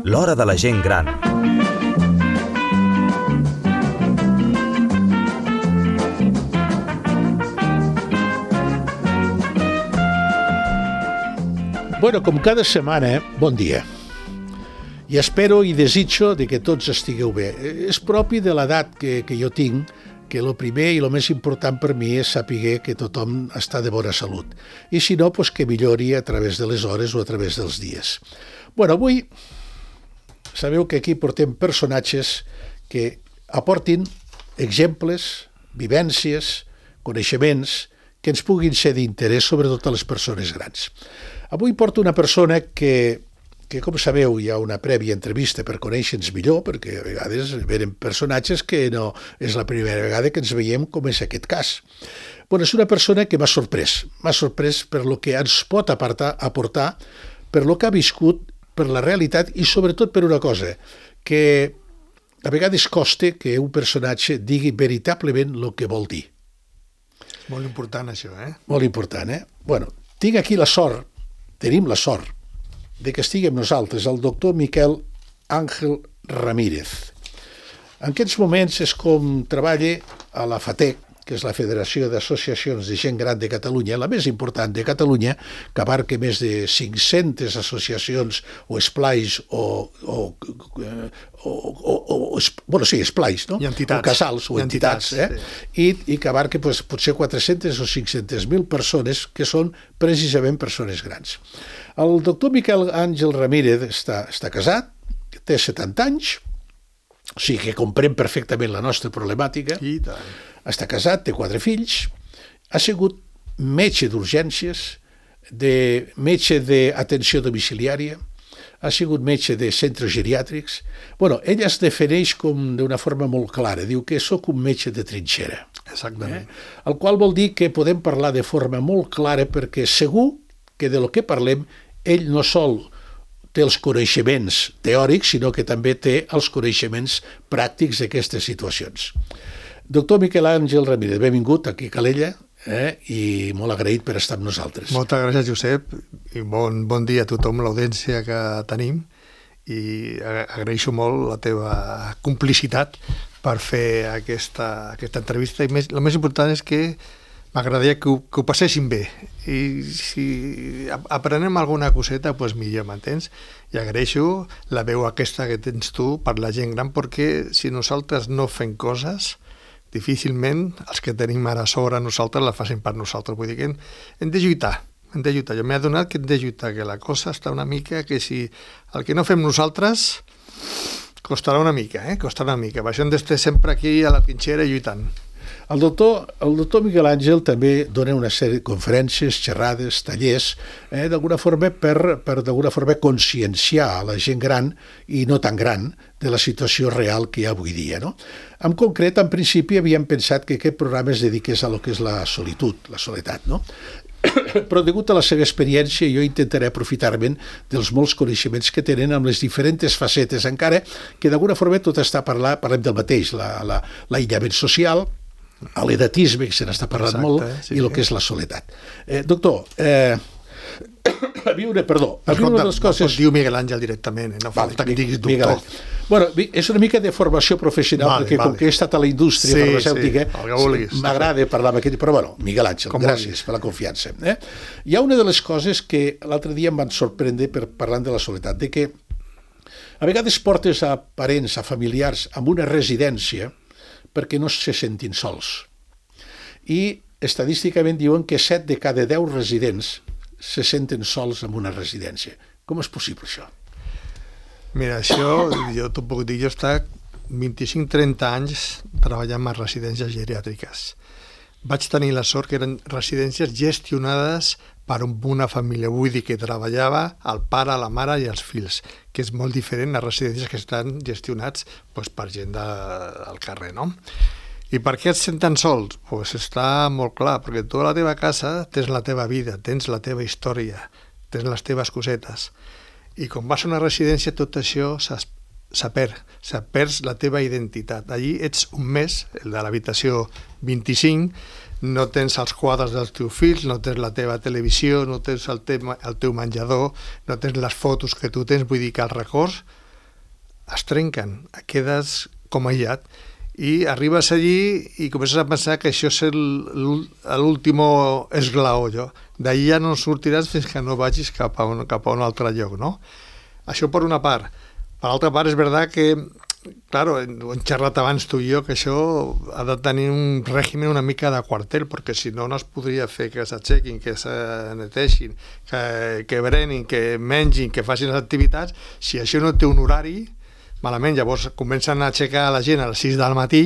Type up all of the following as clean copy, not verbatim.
L'hora de la gent gran. Bueno, com cada setmana, bon dia. I espero i desitjo de que tots estigueu bé. És propi de l'edat que jo tinc, que el primer i el més important per mi és saber que tothom està de bona salut. I si no, doncs que millori a través de les hores o a través dels dies. Bueno, avui sabeu que aquí portem personatges que aportin exemples, vivències, coneixements que ens puguin ser d'interès, sobretot a les persones grans. Avui porto una persona que com sabeu hi ha una prèvia entrevista per conèixer-nos millor, perquè a vegades venen personatges que no és la primera vegada que ens veiem, com és aquest cas. Bueno, és una persona que m'ha sorprès per lo que ens pot aportar, per lo que ha viscut, per la realitat i sobretot per una cosa, que a vegades costa que un personatge digui veritablement el que vol dir. És molt important això, Molt important, Bueno, tinc aquí la sort, tenim la sort, de que estigui amb nosaltres el doctor Miquel Àngel Ramírez. En aquests moments és com treballa a la FATEC, que és la Federació d'Associacions de Gent Gran de Catalunya, la més important de Catalunya, que abarca més de 500 associacions o esplais esplais, no? I entitats. O casals o entitats, sí. I que abarca potser 400 o 500.000 persones que són precisament persones grans. El doctor Miquel Àngel Ramírez està casat, té 70 anys, o sigui que comprèn perfectament la nostra problemàtica. I tant. Està casat, té 4 fills, ha sigut metge d'urgències, metge d'atenció domiciliària, ha sigut metge de centres geriàtrics. Bueno, ell es defineix com d'una forma molt clara, diu que sóc un metge de trinxera. Exactament. El qual vol dir que podem parlar de forma molt clara perquè segur que de lo que parlem ell no sol té els coneixements teòrics, sinó que també té els coneixements pràctics d'aquestes situacions. Doctor Miquel Àngel Ramírez, benvingut aquí a Calella i molt agraït per estar amb nosaltres. Moltes gràcies, Josep, i bon dia a tothom, l'audiència que tenim, i agraeixo molt la teva complicitat per fer aquesta entrevista, i el més important és que m'agradaria que ho passéssim bé, i si aprenem alguna coseta, doncs millor, m'entens? I agraeixo la veu aquesta que tens tu per la gent gran, perquè si nosaltres no fem coses, difícilment els que tenim ara sobre nosaltres la facin per nosaltres. Vull dir que hem de lluitar. Jo m'he adonat que hem de lluitar, que la cosa està una mica que si el que no fem nosaltres costarà una mica, costarà una mica. Per això hem d'estar sempre aquí a la trinxera lluitant. El doctor Miquel Àngel també dona una sèrie de conferències, xerrades, tallers, d'alguna forma per d'alguna forma conscienciar a la gent gran i no tan gran de la situació real que hi ha avui dia, no? En concret, en principi, havíem pensat que aquest programa es dediqués a lo que és la solitud, la soledat, no? Però degut a la seva experiència jo intentaré aprofitar-me'n dels molts coneixements que tenen amb les diferents facetes, encara que d'alguna forma tot està parlem del mateix, l'aïllament social, a l'edatisme, que se n'està parlant molt, i el que és la soledat. Doctor, una de les coses... Diu Miguel Àngel directament, no falta que diguis doctor. Bueno, és una mica de formació professional, perquè com que he estat a la indústria farmacèutica, m'agrada parlar amb aquest... Però bueno, Miguel Àngel, gràcies per la confiança. Hi ha una de les coses que l'altre dia em van sorprendre parlant de la soledat, de que a vegades portes a parents, a familiars, en una residència perquè no se sentin sols. I estadísticament diuen que 7 de cada 10 residents se senten sols en una residència. Com és possible això? Mira, això, jo t'ho puc dir, jo he estat 25-30 anys treballant en residències geriàtriques. Vaig tenir la sort que eren residències gestionades per una família, vull dir que treballava el pare, la mare i els fills, que és molt diferent a residències que estan gestionats per gent del carrer, no? I per què et senten sols? Doncs està molt clar, perquè tu a la teva casa tens la teva vida, tens la teva història, tens les teves cosetes. I quan vas a una residència tot això s'ha perd la teva identitat. Allí ets un mes, el de l'habitació 25, no tens els quadres dels teus fills, no tens la teva televisió, no tens el teu menjador, no tens les fotos que tu tens, vull dir que els records es trenquen, quedes com aïllat i arribes allí i comences a pensar que això és l'últim esglaó. D'ahir ja no sortiràs fins que no vagis cap a un altre lloc, no? Això per una part. Per l'altra part, és veritat que, claro, hem xerrat abans tu i jo, que això ha de tenir un règim una mica de quartel, perquè si no, no es podria fer que s'aixequin, que se neteixin, que berenin, que mengin, que facin les activitats. Si això no té un horari, malament, llavors comencen a aixecar la gent a les 6 del matí,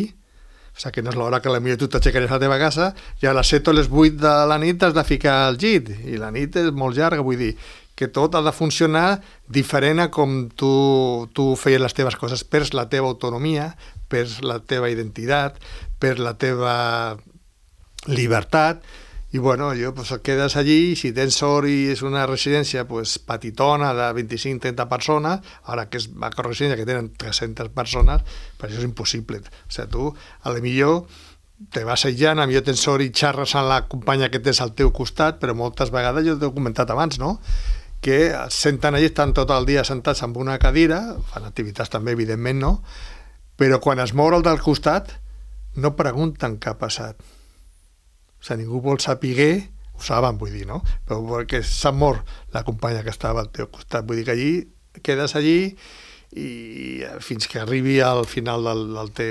o sigui que no és l'hora que potser tu t'aixecaries a la teva casa, i a les 7 o les 8 de la nit has de ficar al llit, i la nit és molt llarga, vull dir que tot ha de funcionar diferent a com tu feies les teves coses. Perds la teva autonomia, perds la teva identitat, perds la teva llibertat, i bueno, quedes allí, i si tens sort i és una residència petitona de 25-30 persones, ara que és una residència que tenen 300 persones, per això és impossible. O sigui, tu, a la millor, te vas aïllant, a millor tens sort i xarres amb la companya que tens al teu costat, però moltes vegades, jo t'ho he comentat abans, no?, que es senten allà, estan tot el dia sentats en una cadira, fan activitats també, evidentment, no? Però quan es mou el del costat, no pregunten què ha passat. O sigui, ningú vol saber, ho saben, vull dir, no? Però perquè s'ha mort la companya que estava al teu costat. Vull dir que allí quedes allí i fins que arribi al final de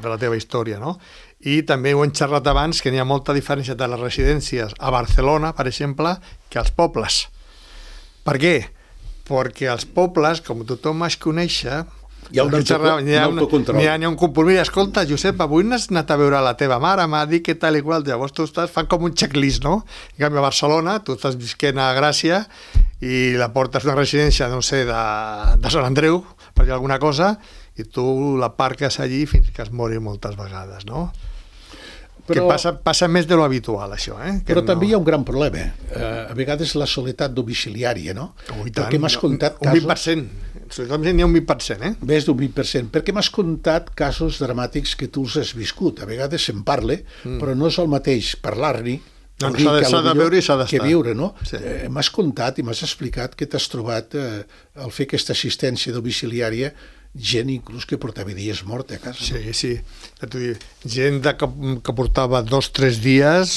la teva història, no? I també ho hem xerrat abans, que n'hi ha molta diferència de les residències a Barcelona, per exemple, que als pobles. Per què? Perquè als pobles, com tothom es conèixer, hi ha un autocontrol. N'hi ha un compromís. Escolta, Josep, avui n'has anat a veure la teva mare, m'ha dit que tal i qual. Llavors tu fan com un checklist, no? En canvi, a Barcelona, tu estàs visquent a Gràcia i la portes una residència, no sé, de Sant Andreu, per dir alguna cosa, i tu la parques allí fins que es mori moltes vegades, no? Però, que passa més de lo habitual, això. Però també hi ha un gran problema. A vegades la soledat domiciliària, no? Perquè m'has contat casos... Un 20%. N'hi ha un 20%, Més d'un 20%. Perquè m'has contat casos dramàtics que tu els has viscut. A vegades se'n parla, però no és el mateix parlar-n'hi s'ha de veure i s'ha d'estar. Que viure, no? Sí. M'has contat i m'has explicat que t'has trobat al fer aquesta assistència domiciliària gent inclús que portava dies mort a casa. Sí. Gent que portava 2-3 dies,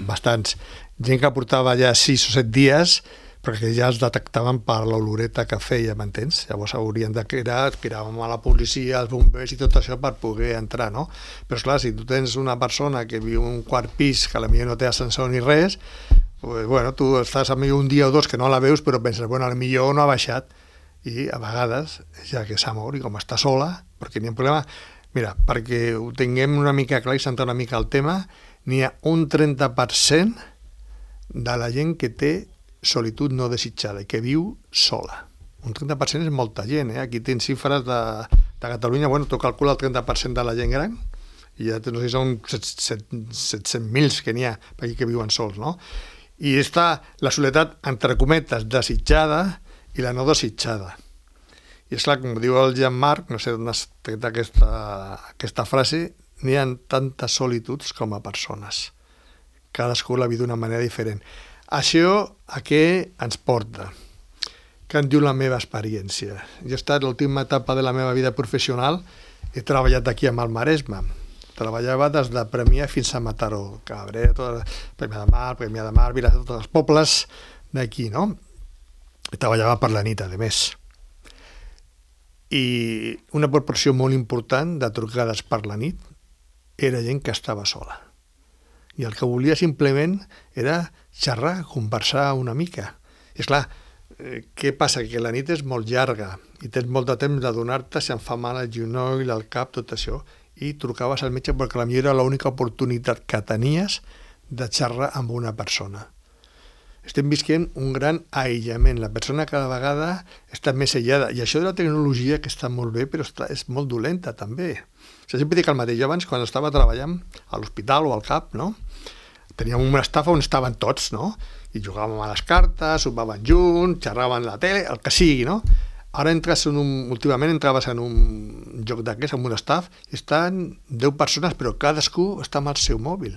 bastants. Gent que portava ja 6 o 7 dies, perquè ja els detectaven per l'oloreta que feia, m'entens? Llavors haurien de cridàvem a la policia, als bombers i tot això per poder entrar, no? Però esclar, si tu tens una persona que viu en un quart pis, que potser no té ascensor ni res, tu estàs potser un dia o dos que no la veus, però penses, potser no ha baixat. I a vegades, ja que s'ha mort i com està sola, perquè n'hi ha un problema... Mira, perquè ho tinguem una mica clar i centrar una mica el tema, n'hi ha un 30% de la gent que té solitud no desitjada i que viu sola. Un 30% és molta gent, Aquí tens xifres de Catalunya, tu calcula el 30% de la gent gran, i ja no sé si són 700.000 que n'hi ha per aquí que viuen sols, no? I està la soledat, entre cometes, desitjada i la no desitjada. I és clar, com diu el Jean-Marc, no sé d'on has tret aquesta frase, n'hi ha tantes solituds com a persones. Cadascú la viu d'una manera diferent. Això a què ens porta? Què en diu la meva experiència? Jo he estat l'última etapa de la meva vida professional, he treballat aquí a Maresme. Treballava des de Premià fins a Mataró, Cabret, Premià de Mar, Vilassar, tots els pobles d'aquí, no? I treballava per la nit, a més. I una proporció molt important de trucades per la nit era gent que estava sola. I el que volia simplement era xerrar, conversar una mica. I esclar, què passa? Que la nit és molt llarga i tens molt de temps de donar-te si em fa mal el genoll, el cap, tot això, i trucaves al metge perquè potser era l'única oportunitat que tenies de xerrar amb una persona. Estem visquent un gran aïllament. La persona cada vegada està més aïllada. I això de la tecnologia, que està molt bé, però és molt dolenta, també. O sigui, sempre dic el mateix. Jo abans, quan estava treballant a l'hospital o al CAP, no? Teníem una estafa on estaven tots, no? I jugàvem a les cartes, sopaven junts, xerraven la tele, el que sigui, no? Ara últimament entraves en un joc d'aquests, en un staff, i estan 10 persones, però cadascú està amb el seu mòbil.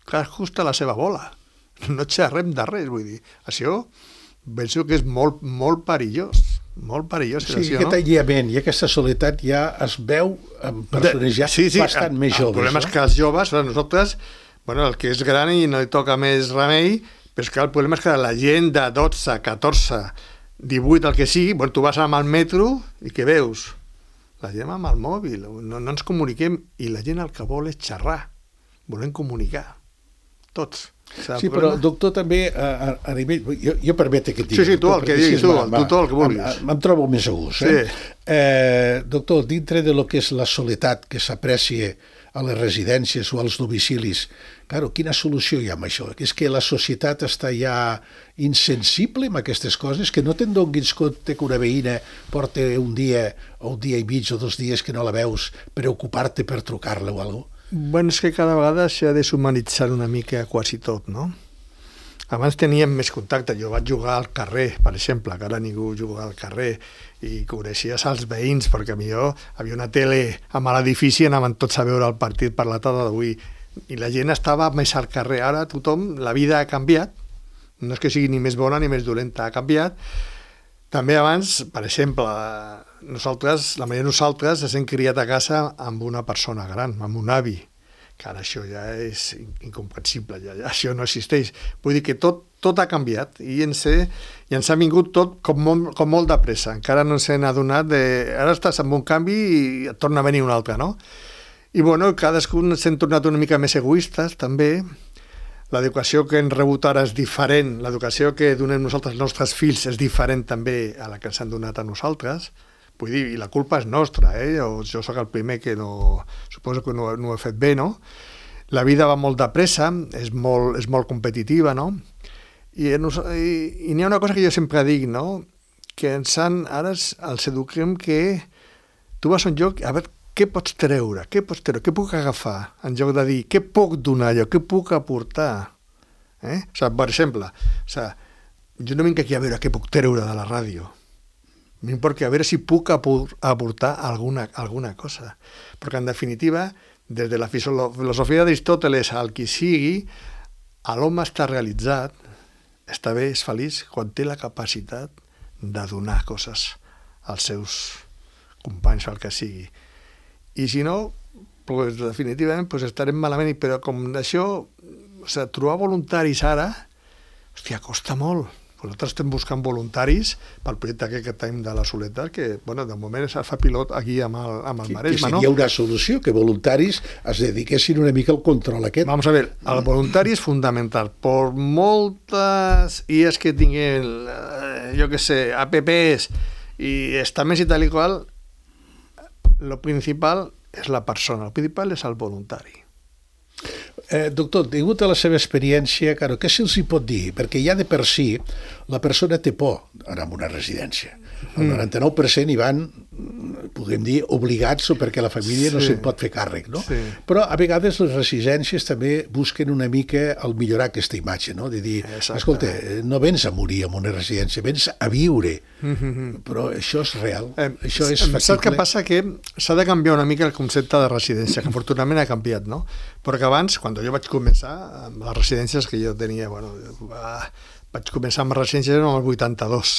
Cadascú està a la seva bola. No xerrem de res, vull dir. Això penso que és molt, molt perillós. Molt perillós. Sí, aquest aïllament i aquesta soledat ja es veu en persones ja bastant més joves. El problema és que els joves, nosaltres, el que és gran i no li toca més remei, però és que el problema és que la gent de 12, 14, 18, el que sigui, tu vas amb el metro i què veus? La gent amb el mòbil, no ens comuniquem, i la gent el que vol és xerrar, volem comunicar, tots. Sí, però doctor també a nivell... Jo permete que et digui. Sí, tu el que diguis, tu el que vulguis. Em trobo més a gust. Doctor, dintre de lo que és la soledat que s'aprecia a les residències o als domicilis, quina solució hi ha amb això? És que la societat està ja insensible amb aquestes coses, que no te'n donis compte que una veïna porta un dia o un dia i mig o 2 dies que no la veus, preocupar-te per trucar-la o alguna cosa? És que cada vegada s'ha deshumanitzat una mica quasi tot, no? Abans teníem més contacte. Jo vaig jugar al carrer, per exemple, que ara ningú juga al carrer, i coneixies els veïns, perquè millor havia una tele amb l'edifici i anaven tots a veure el partit per la tarda d'avui. I la gent estava més al carrer. Ara tothom, la vida ha canviat. No és que sigui ni més bona ni més dolenta, ha canviat. També abans, per exemple, la majoria de nosaltres ens hem criat a casa amb una persona gran, amb un avi, que ara això ja és incomprensible, ja això no existeix. Vull dir que tot ha canviat i ens ha vingut tot com molt de pressa. Encara no ens hem adonat ara estàs amb un canvi i et torna a venir un altre, no? I cadascun s'hem tornat una mica més egoistes, també. L'educació que hem rebut ara és diferent, l'educació que donem nosaltres als nostres fills és diferent també a la que ens han donat a nosaltres. Vull dir, i la culpa és nostra, jo sóc el primer que suposo que no ho he fet bé, no? La vida va molt de pressa, és molt competitiva, no? I n'hi ha una cosa que jo sempre dic, no? Que ara els eduquem que tu vas a un lloc, a veure, què pots treure, què puc agafar, en lloc de dir, què puc donar jo, què puc aportar? Per exemple, jo no vinc aquí a veure què puc treure de la ràdio, vinc perquè a veure si puc aportar alguna cosa. Perquè, en definitiva, des de la filosofia d'Aristòteles al que sigui, l'home està realitzat, està bé, és feliç, quan té la capacitat de donar coses als seus companys, al que sigui. I si no, definitivament estarem malament, però com això, trobar voluntaris ara, costa molt. Nosaltres estem buscant voluntaris pel projecte que tenim de la soledat, que, de moment es fa pilot aquí amb el Maresme, no? Que seria una solució, que voluntaris es dediquessin una mica al control aquest. Vamos a ver, el voluntari és fundamental. Per moltes IES que tinguin, apps i estaments i tal i qual, lo principal és la persona, el principal és el voluntari. Doctor, degut a la seva experiència, què se'ls hi pot dir? Perquè ja de per si la persona té por d'anar a una residència. El 99% hi van, podem dir, obligats o perquè la família no se'n pot fer càrrec, no? Sí. Però a vegades les residències també busquen una mica el millorar aquesta imatge, no? De dir, escolta, no vens a morir en una residència, vens a viure. Però això és real, això és factible. Saps què passa? Que s'ha de canviar una mica el concepte de residència, que afortunadament ha canviat, no? Perquè abans, quan jo vaig començar amb les residències que jo tenia, vaig començar amb les residències en el 82.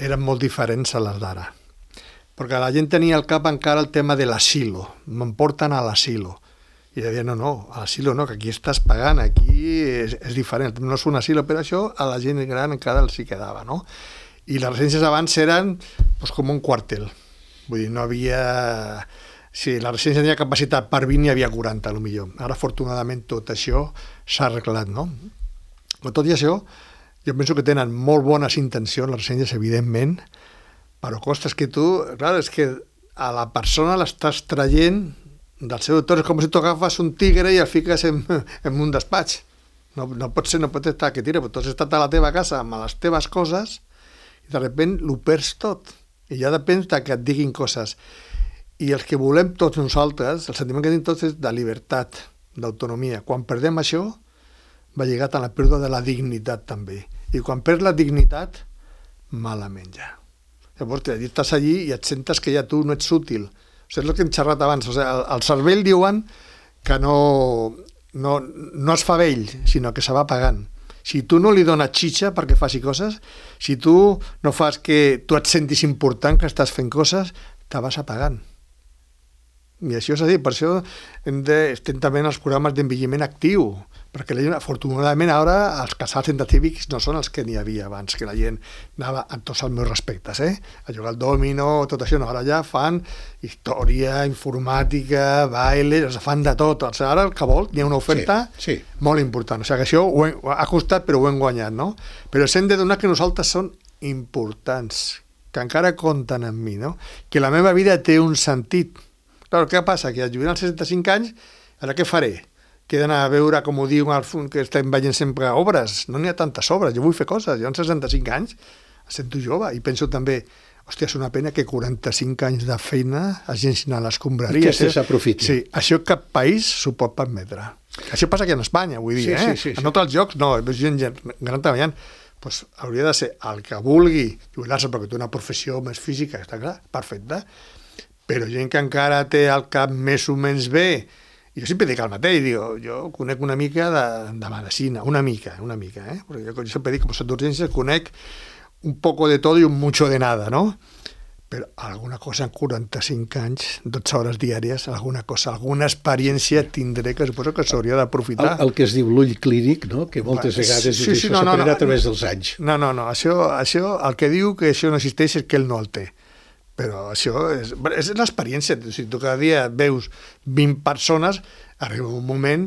Eren molt diferents a les d'ara. Perquè la gent tenia al cap encara el tema de l'asilo. Me'n porten a l'asilo. I deia, no, a l'asilo no, que aquí estàs pagant, aquí és diferent. No és un asilo, però això a la gent gran encara els hi quedava, no? I les residències abans eren com un quartel. Vull dir, no havia... Si la residència tenia capacitat per 20, n'hi havia 40, potser. Ara, afortunadament, tot això s'ha arreglat, no? Però tot i això, jo penso que tenen molt bones intencions, les residències, evidentment, però costes que tu... Clar, és que a la persona l'estàs traient del seu entorn, és com si tu agafes un tigre i el fiques en un despatx. No pot ser, no pot estar, que tira, però tu has estat a la teva casa amb les teves coses i de sobte ho perds tot. I ja depèn que et diguin coses. I els que volem tots nosaltres, el sentiment que tenim tots és de llibertat, d'autonomia. Quan perdem això, va lligat a la pèrdua de la dignitat també. I quan perds la dignitat, malament ja. Llavors, estàs allí i et sentes que ja tu no ets útil. O sigui, és el que hem xerrat abans. O sigui, el cervell diuen que no es fa vell, sinó que se va pagant. Si tu no li dones xitxa perquè faci coses, si tu no fas que tu et sentis important, que estàs fent coses, te vas apagant. I això és a dir, per això estem també en els programes d'envelliment actiu, perquè la gent, afortunadament, ara els casals científics no són els que n'hi havia abans, que la gent anava, amb tots els meus respectes, a jugar al dòmino, tot això, no, ara ja fan història, informàtica, baile, fan de tot. O sigui, ara el que vol, hi ha una oferta molt important. O sigui, que això ha costat, però ho hem guanyat, no? Però ens hem de donar que nosaltres són importants, que encara compten amb mi, no? Que la meva vida té un sentit. Clar, què passa? Que al jubilar als 65 anys, ara què faré? Que he d'anar a veure, com ho diu, que estem veient sempre obres. No n'hi ha tantes obres, jo vull fer coses. Jo amb 65 anys em sento jove i penso també, hòstia, és una pena que 45 anys de feina es llencin a les escombraries. I que s'aprofiti. Sí, això cap país s'ho pot permetre. Això passa aquí en Espanya, vull dir, Sí. En altres llocs no, veus gent gran treballant, doncs hauria de ser el que vulgui jubilar-se perquè té una professió més física, està clar, perfecte, però gent que encara té el cap més o menys bé, jo sempre dic el mateix, digo, jo conec una mica de medicina, una mica, perquè jo sempre dic que per d'urgències conec un poco de todo y un mucho de nada, no? Però alguna cosa en 45 anys, 12 hores diàries, alguna cosa, alguna experiència tindré que suposo que s'hauria d'aprofitar. El que es diu l'ull clínic, no? Que moltes vegades s'aprendrà a través dels anys. No, això, el que diu que això no existeix és que ell no el té. Però això és l'experiència. Si tu cada dia veus 20 persones, arriba un moment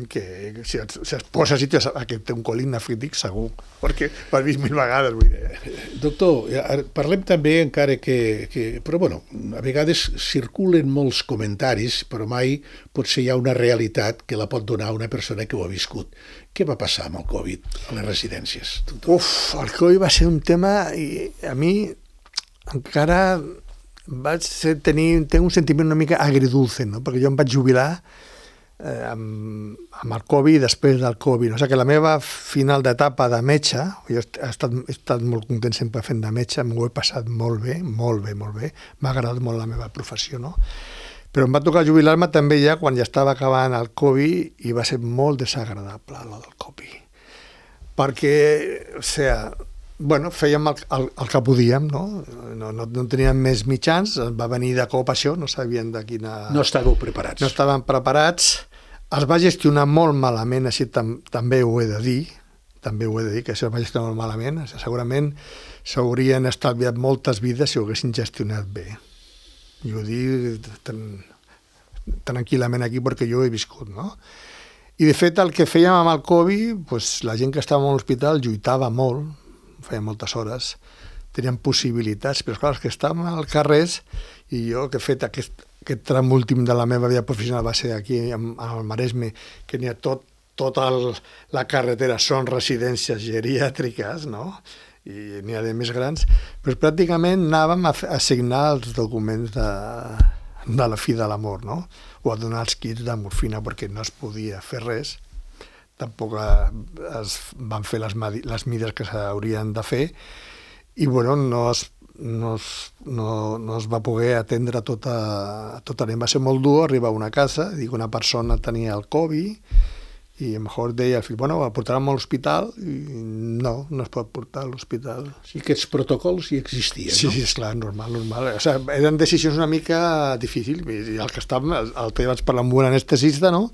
que si es posa a sitio que té un còlic nefrític segur, perquè ho has vist 1000 vegades. Vull dir. Doctor, parlem també encara però bueno, a vegades circulen molts comentaris, però mai potser hi ha una realitat que la pot donar una persona que ho ha viscut. Què va passar amb el Covid a les residències, doctor? El Covid va ser un tema i a mi encara vaig tenir un sentiment una mica agridulce, no? Perquè jo em vaig jubilar amb el Covid i després del Covid. O sigui que la meva final d'etapa de metge, jo he estat molt content sempre fent de metge, m'ho he passat molt bé, m'ha agradat molt la meva professió, no? Però em va tocar jubilar-me també ja quan ja estava acabant el Covid i va ser molt desagradable el del Covid. Perquè, o sigui, bueno, fèiem el que podíem, no? No teníem més mitjans, va venir de cop això, no sabien de quina... No estàveu preparats. No estàvem preparats, es va gestionar molt malament, així també ho he de dir, que això es va gestionar molt malament, segurament s'haurien estalviat moltes vides si ho haguessin gestionat bé. I ho dic tranquil·lament aquí perquè jo ho he viscut, no? I de fet el que fèiem amb el Covid, doncs, la gent que estava a l'hospital lluitava molt, feia moltes hores, tenien possibilitats, però clar, els que estàvem al carrer, i jo que he fet aquest tram últim de la meva vida professional va ser aquí al Maresme, que n'hi ha tota la carretera són residències geriàtriques, no? I n'hi ha de més grans, però pràcticament anàvem a signar els documents de la fi de l'amor, no? O a donar els kits de morfina perquè no es podia fer res. Tampoc es van fer les mides que s'haurien de fer i bueno, no es va poder atendre tota l'any. Va ser molt dur arribar a una casa, dic, una persona tenia el Covid i a lo mejor deia al fill, bueno, el portarem a l'hospital i no es pot portar a l'hospital. Sí, aquests protocols hi existien, no? Sí, és clar, normal. O sigui, eren decisions una mica difícils. I el que estàvem, el vaig parlar amb un anestesista, no?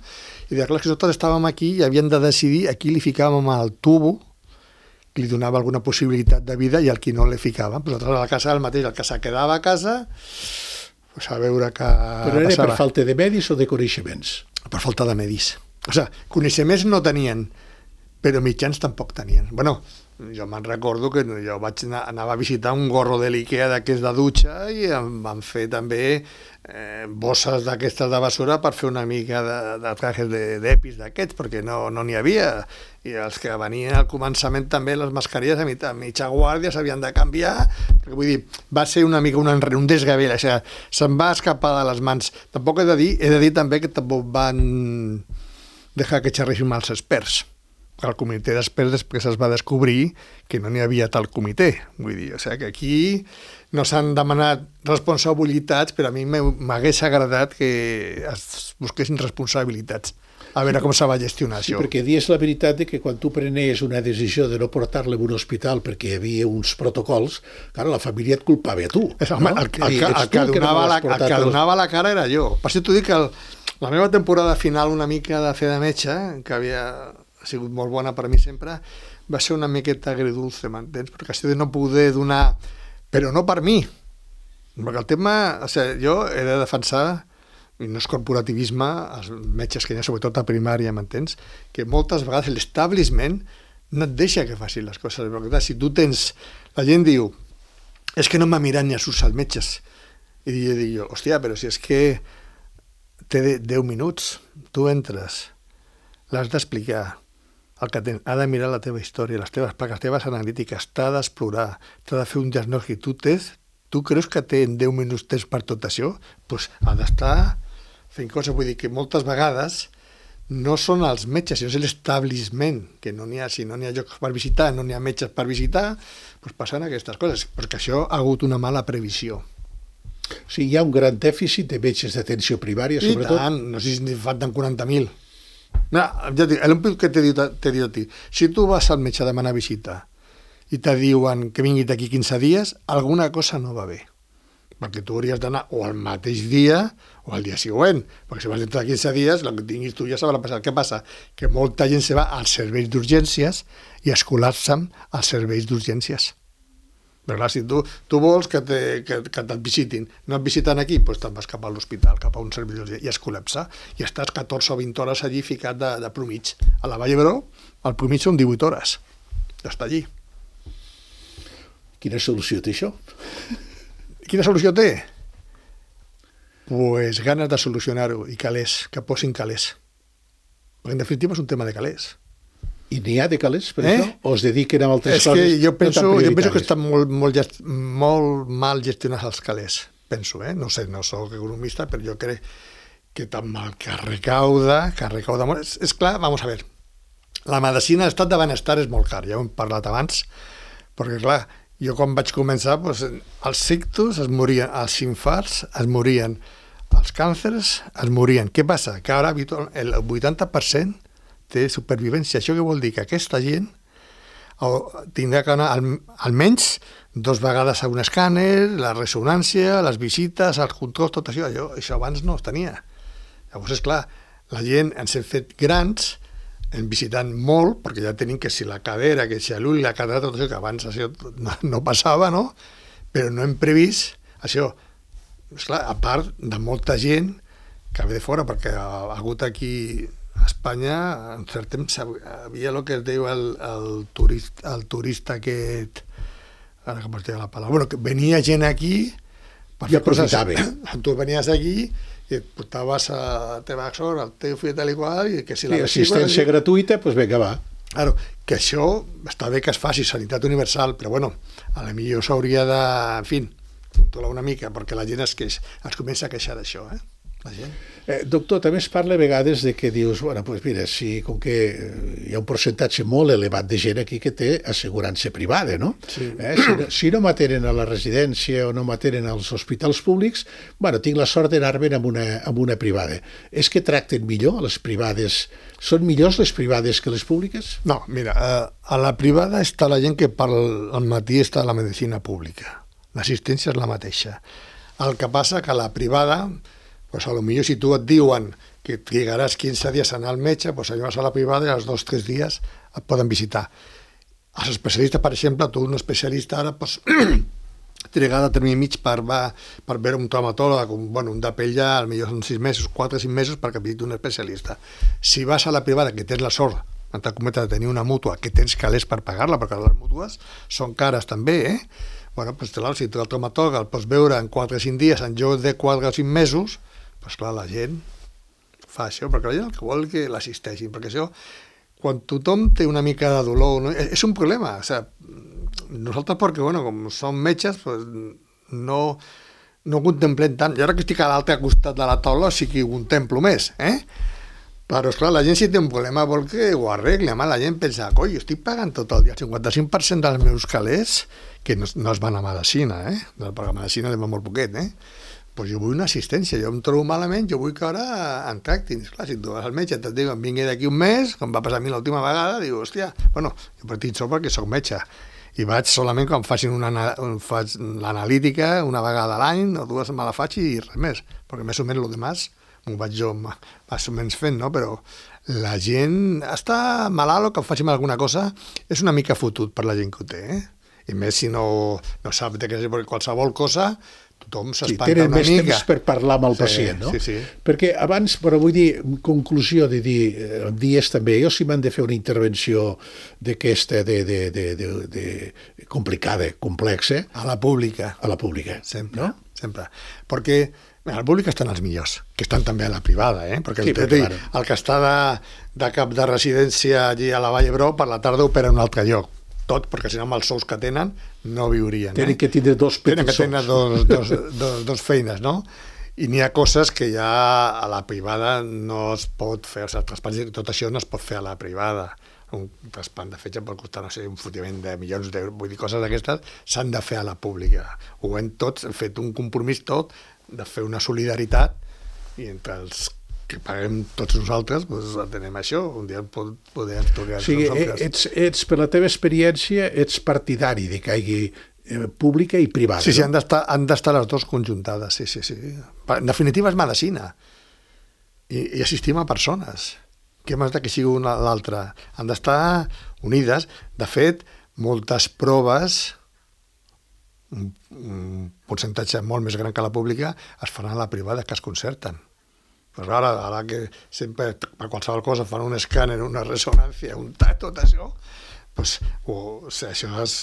I deia, clar, que nosaltres estàvem aquí i havien de decidir a qui li ficàvem el tubo, que li donava alguna possibilitat de vida i al qui no li ficàvem. Però nosaltres a la casa el mateix, el que se quedava a casa, pues a veure què passava. Però era per falta de medis o de coneixements? Per falta de medis. O sigui, coneixements no tenien, però mitjans tampoc tenien. Bueno, jo me'n recordo que jo anava a visitar un gorro de l'Ikea d'aquests de dutxa i em van fer també bosses d'aquestes de basura per fer una mica de trajes d'EPIs d'aquests, perquè no n'hi havia. I els que venien al començament també les mascarilles a mitja guàrdia s'havien de canviar, perquè vull dir, va ser una mica un desgavell, o sigui, se'n va escapar de les mans. Tampoc he de dir també que tampoc van deixar que xerressin els experts, el comitè després es va descobrir que no n'hi havia tal comitè. Vull dir, o sigui, que aquí no s'han demanat responsabilitats, però a mi m'hagués agradat que es busquessin responsabilitats. A veure com se va gestionar Sí, això. perquè dius la veritat de que quan tu prenies una decisió de no portar-lo a un hospital perquè hi havia uns protocols, clar, la família et culpava a tu. Home, no? el que donava la cara era jo. Per això t'ho dic que la meva temporada final una mica de fer de metge, que havia sigut molt bona per a mi sempre, va ser una miqueta agridulce, m'entens? Perquè això de no poder donar... Però no per mi. Perquè el tema... O sigui, jo he de defensar, i no és corporativisme, els metges que hi ha, sobretot a primària, m'entens? Que moltes vegades l'establishment no et deixa que facin les coses. Perquè clar, si tu tens... La gent diu, és que no m'ha mirat ni a sus als metges. I jo dic, hòstia, però si és que té 10 minuts, tu entres, l'has d'explicar, el que ha de mirar la teva història, les teves analítiques, t'ha d'explorar, t'ha de fer un diagnòstic. Tu creus que té 10 minuts temps per tot això? Doncs ha d'estar fent coses. Vull dir que moltes vegades no són els metges, sinó és l'establishment, que no n'hi ha, si no n'hi ha llocs per visitar, no n'hi ha metges per visitar, doncs passen aquestes coses, perquè això ha hagut una mala previsió. O sigui, hi ha un gran dèficit de metges d'atenció primària, sobretot. I tant, no sé si en falten 40.000. No, ja dic, l'únic que t'he dit a ti, si tu vas al metge a demanar visita i te diuen que vingui d'aquí 15 dies, alguna cosa no va bé. Perquè tu hauries d'anar o al mateix dia o al dia següent, perquè si vas dintre de 15 dies, el que tinguis tu ja s'haurà passat. Què passa? Que molta gent se va als serveis d'urgències i es col·lapsen als serveis d'urgències. Però clar, si tu vols que te't visitin, no et visiten aquí, doncs te'n vas cap a l'hospital, cap a un servei d'urgències, i es col·lapsa, i estàs 14 o 20 hores allí ficat de promig. A la Vall d'Hebron, el promig són 18 hores. Ja està allí. Quina solució té això? Quina solució té? Pues ganes de solucionar-ho i calés, que posin calés. Perquè en definitiva és un tema de calés. I n'hi ha de calés per això? O es dediquen a altres coses? És que jo penso que estan molt mal gestionats els calés. Penso, no sé, no soc economista, però jo crec que tan mal que recauda molt. És clar, vamos a ver, la medicina, l'estat de benestar és molt car, ja ho hem parlat abans, perquè clar, jo quan vaig començar, doncs, els ictus es morien, els infarts es morien, els càncers es morien. Què passa? Que ara el 80% té supervivència. Això què vol dir? Que aquesta gent tindrà que anar almenys 2 vegades a un escàner, la ressonància, les visites, els controls, tot això. Això abans no es tenia. Llavors, és clar, la gent ens hem fet grans, hem visitat molt, perquè ja tenim que si la cadera, que si l'ull, la catarata, tot això, que abans això no passava, no? Però no hem previst això. Esclar, a part de molta gent que ve de fora, perquè ha hagut aquí a Espanya, en cert temps, havia el que es diu el turista aquest, ara com es diu la paraula, bueno, que venia gent aquí per fer coses. Tu venies aquí i et portaves a teva sort, el teu fill tal i qual, i que si la assistència gratuïta, doncs vinga, va. Claro, que això està bé que es faci, sanitat universal, però bueno, a la millor s'hauria de, en fi, controlar una mica, perquè la gent es comença a queixar d'això, la gent. Doctor, també es parla a vegades de que dius, bueno, doncs mira, si com que hi ha un percentatge molt elevat de gent aquí que té assegurança privada, no? Sí. Si no m'atenen a la residència o no m'atenen als hospitals públics, bueno, tinc la sort d'anar-me'n amb una privada. És que tracten millor a les privades? Són millors les privades que les públiques? No, mira, a la privada està la gent que al matí està a la medicina pública. L'assistència és la mateixa. El que passa que a la privada, pues a lo millor si tu et diuen que trigaràs 15 dies a anar al metge, pues allò vas a la privada i als 2-3 dies et poden visitar. Els especialistes, per exemple, tu un especialista ara pues, trigar de termini mig per veure un traumatòleg, un de pell ja, potser són 6 mesos, 4 o 5 mesos perquè visiti un especialista. Si vas a la privada, que tens la sort, entre cometes, de tenir una mútua, que tens calés per pagar-la, perquè les mútues són cares també, Bueno, pues clar, si tu el traumatòleg el pots veure en 4 o 5 dies, en lloc de 4 o 5 mesos, pues clar, la gent fa això, perquè la gent el que vol que l'assisteixin, perquè això, quan tothom té una mica de dolor, no? És un problema, o sigui, nosaltres perquè, bueno, com som metges, pues, no contemplem tant, jo ara que estic a l'altre costat de la taula sí que ho contemplo més, Però, esclar, la gent si té un problema vol que ho arregli. Home, la gent pensa, coi, jo estic pagant tot el dia el 55% dels meus calés, que no es van a medicina, perquè a medicina va molt poquet, pues jo vull una assistència, jo em trobo malament, jo vull que ara em tractin. Esclar, si tu vas al metge, et diuen, vingui d'aquí un mes, com va passar a mi l'última vegada, diu, hòstia, bueno, jo per tinc sort perquè soc metge, i vaig solament quan facin faig l'analítica una vegada a l'any, o dues me la faig i res més, perquè més o menys el demás m'ho vaig jo més o menys fent, no? Però la gent està malalt o que facin alguna cosa és una mica fotut per la gent que ho té, I més si no sap de què és, perquè qualsevol cosa tothom s'espanta una mica. Tenen més temps per parlar amb el pacient, no? Sí. Perquè abans, però vull dir, en conclusió de dir, em dies també, jo si m'han de fer una intervenció d'aquesta complicada, complexa... A la pública. Sempre, no? Sempre. Perquè a la pública estan els millors, que estan també a la privada, perquè sí, el que està de cap de residència allí a la Vall d'Hebron, per la tarda opera en un altre lloc. Tot, perquè si no amb els sous que tenen no viurien. Tenen que tindre dos petits sous. Tenen que tenir dos feines, no? I n'hi ha coses que ja a la privada no es pot fer, o sigui, el traspàs i tot això no es pot fer a la privada. Un traspàs de fetge pot costar, no sé, un fotiment de milions d'euros, vull dir, coses d'aquestes s'han de fer a la pública. Ho hem tots, hem fet un compromís tot de fer una solidaritat i entre els que paguem tots nosaltres, doncs tenim això, un dia podem tocar nosaltres. Ets, per la teva experiència, ets partidari de que hi hagi pública i privada. Sí, han d'estar les dues conjuntades, sí. En definitiva és medicina i assistim a persones. Què més que sigui una a l'altra? Han d'estar unides. De fet, moltes proves, un percentatge molt més gran que la pública, es faran a la privada, que es concerten. Però ara que sempre, per qualsevol cosa, fan un escàner, una ressonància, tot això, doncs, això es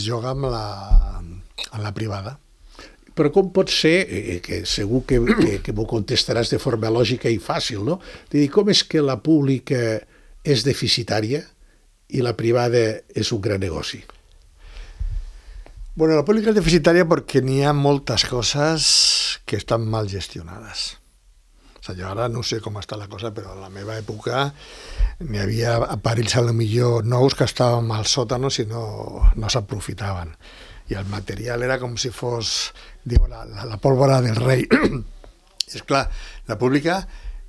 juga amb la privada. Però com pot ser, que segur que m'ho contestaràs de forma lògica i fàcil, no? De dir, com és que la pública és deficitària i la privada és un gran negoci? Bueno, la pública és deficitària perquè n'hi ha moltes coses que estan mal gestionades. O sigui, jo ara no sé com està la cosa, però a la meva època n'hi havia aparells a lo millor nous que estàvem al sòtano si no s'aprofitaven. I el material era com si fos, diu, la pólvora del rei. És clar, la pública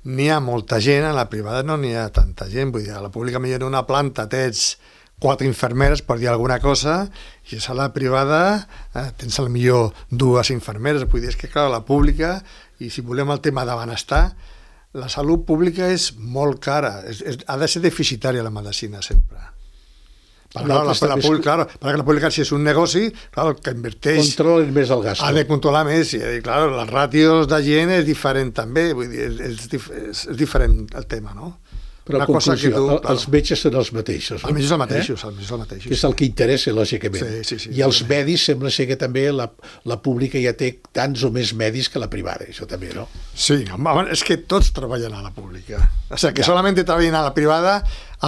n'hi ha molta gent, a la privada no n'hi ha tanta gent. Vull dir, a la pública millor en una planta tens 4 infermeres, per dir alguna cosa, i a la privada tens al millor 2 infermeres. Vull dir, és que clar, la pública, i si volem el tema de benestar, la salut pública és molt cara, ha de ser deficitària la medicina sempre. Perquè la pública, si és un negoci, clar, el que inverteix... Controlen més el gasto. Ha de controlar més, i clar, les ràtios de gent és diferent també, vull dir, és diferent el tema, no? Però en conclusió, els metges són els mateixos, no? Els metges són els mateixos. Que és el que interessa, lògicament. Sí. I els medis, sembla ser que també la pública ja té tants o més medis que la privada, això també, no? Sí, és que tots treballen a la pública. O sigui, que solament treballen a la privada,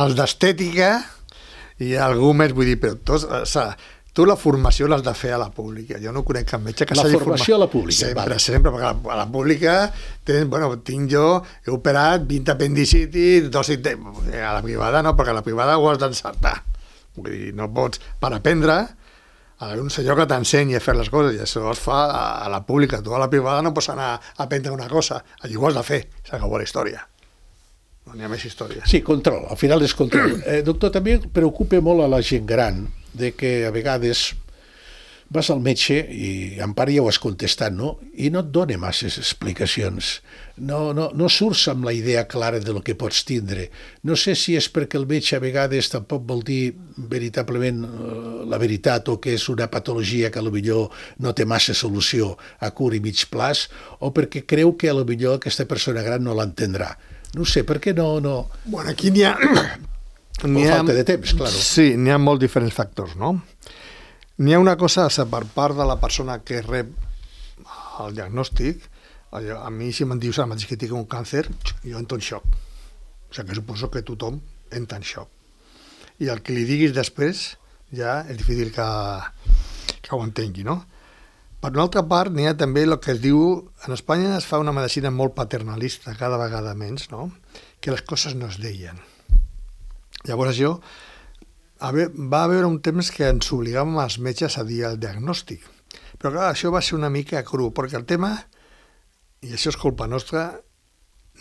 els d'estètica i algú més, vull dir, però tots... O sigui, tu la formació l'has de fer a la pública. Jo no conec cap metge que s'hagi format. La formació a la pública. Sempre, perquè a la pública tinc jo, he operat 20 apendicitis, a la privada no, perquè a la privada ho has d'encertar. Vull dir, no pots, per aprendre, ha d'haver un senyor que t'ensenyi a fer les coses, i això es fa a la pública. Tu a la privada no pots anar a aprendre una cosa, allí ho has de fer, s'acabó la història. No n'hi ha més història. Sí, control, al final és control. Doctor, també preocupa molt a la gent gran de que a vegades vas al metge i en part ja ho has contestat, no? I no et dona masses explicacions. No surts amb la idea clara de lo que pots tindre. No sé si és perquè el metge a vegades tampoc vol dir veritablement la veritat o que és una patologia que potser no té massa solució a curt i mig plaç, o perquè creu que potser aquesta persona gran no l'entendrà. No sé, per què no... Bueno, aquí n'hi ha... falta de temps, clar. Sí, n'hi ha molts diferents factors, no? N'hi ha una cosa, per part de la persona que rep el diagnòstic, a mi si me'n dius ara mateix que tinc un càncer, jo entro en xoc. O sigui que suposo que tothom entra en xoc. I el que li diguis després ja és difícil que ho entengui, no? Per una altra part, n'hi ha també el que es diu... En Espanya es fa una medicina molt paternalista, cada vegada menys, no? Que les coses no es deien. Llavors això... Va haver un temps que ens obligàvem als metges a dir el diagnòstic. Però clar, això va ser una mica cru, perquè el tema, i això és culpa nostra,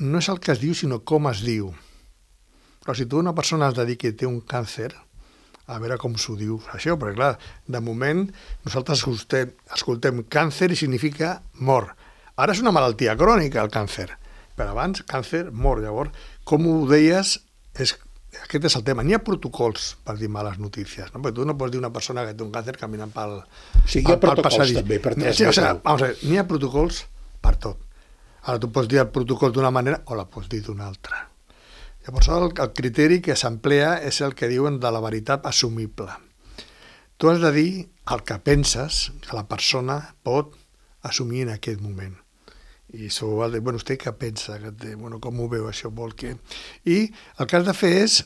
no és el que es diu, sinó com es diu. Però si tu a una persona has de dir que té un càncer, a veure com s'ho diu això, perquè clar, de moment nosaltres escoltem càncer i significa mort. Ara és una malaltia crònica, el càncer, però abans càncer, mort. Llavors, com ho deies, aquest és el tema. N'hi ha protocols per dir males notícies, no? Perquè tu no pots dir una persona que té un càncer caminant pel Sí, hi ha protocols també, per tres. N'hi ha protocols per tot. Ara tu pots dir el protocol d'una manera o la pots dir d'una altra. Llavors el criteri que s'emplea és el que diuen de la veritat assumible. Tu has de dir el que penses que la persona pot assumir en aquest moment. I això vol dir, bueno, vostè què pensa? Bueno, com ho veu això? Vol que... I el que has de fer és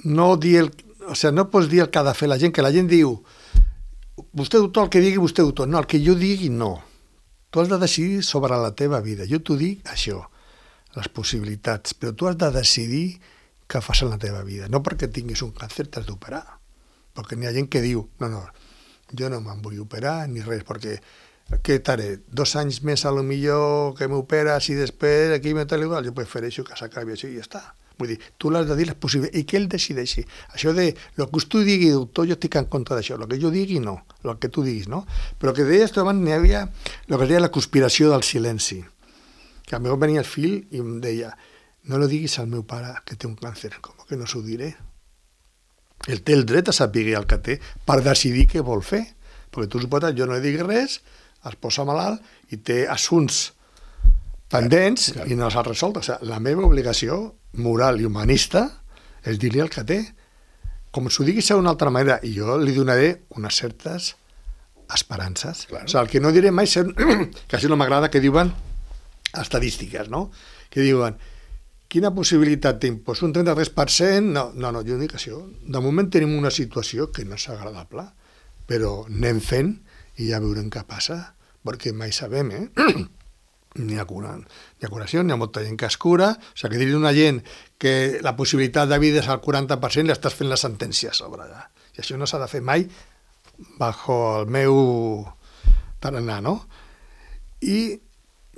no dir no pots dir el que ha de fer la gent, que la gent diu vostè doctor, el que digui vostè doctor. No, el que jo digui no. Tu has de decidir sobre la teva vida. Jo t'ho dic això, les possibilitats, però tu has de decidir què fas en la teva vida. No perquè tinguis un càncer t'has d'operar. Perquè n'hi ha gent que diu, no, jo no me'n vull operar ni res, perquè què taré? 2 anys més a lo millor que m'operes i després aquí me tal igual, jo prefereixo que s'acabi això i ja està. Vull dir, tu l'has de dir les possibilitats i que ell decideixi. Això de, el que tu digui, doctor, jo estic en contra d'això, el que jo digui no, el que tu diguis, no? Però el que deies tu abans, n'hi havia el que es deia la conspiració del silenci. Que a mi venia el fill i em deia, no lo diguis al meu pare que té un càncer, com que no s'ho diré? Ell té el dret a saber el que té per decidir què vol fer, perquè tu suposa, jo no li diguis res, es posa malalt i té assumptes pendents i no els ha resolt. O sigui, la meva obligació moral i humanista és dir-li el que té. Com s'ho diguis d'una altra manera, i jo li donaré unes certes esperances. Claro. O sigui, el que no diré mai, que això no m'agrada, que diuen estadístiques, no? Que diuen, quina possibilitat té? Pues un 33%? No, jo dic això. De moment tenim una situació que no és agradable, però anem fent i ja veurem què passa, perquè mai sabem, N'hi ha curació, n'hi ha molta gent que es cura, o sigui, que dir una gent que la possibilitat de vida és al 40%, li estàs fent la sentència a sobre allà. I això no s'ha de fer mai bajo el meu tarannà, no? I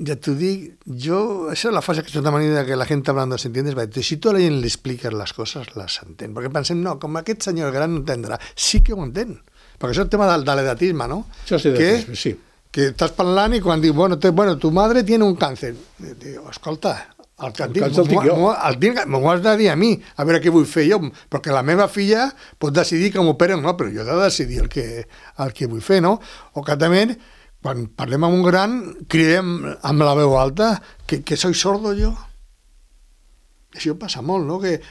ja t'ho dic, yo, esa es la fase que es una manera que la gente hablando se entiende, si tu a la gent li expliques les coses, les entén, perquè pensem, no, com aquest senyor gran no entendrà, sí que ho entén, perquè això és el tema de l'edatisme, no? Això és edatisme, sí. Que estàs parlant i quan diu, bueno, tu madre tiene un càncer. Diu, escolta, el càncer el tinc jo. M'ho has de dir a mi, a veure què vull fer jo, perquè la meva filla pot decidir que m'operen, no, però jo he de decidir el que vull fer, no? O que també, quan parlem amb un gran, cridem amb la veu alta que soy sordo jo. Això passa molt, no? Que,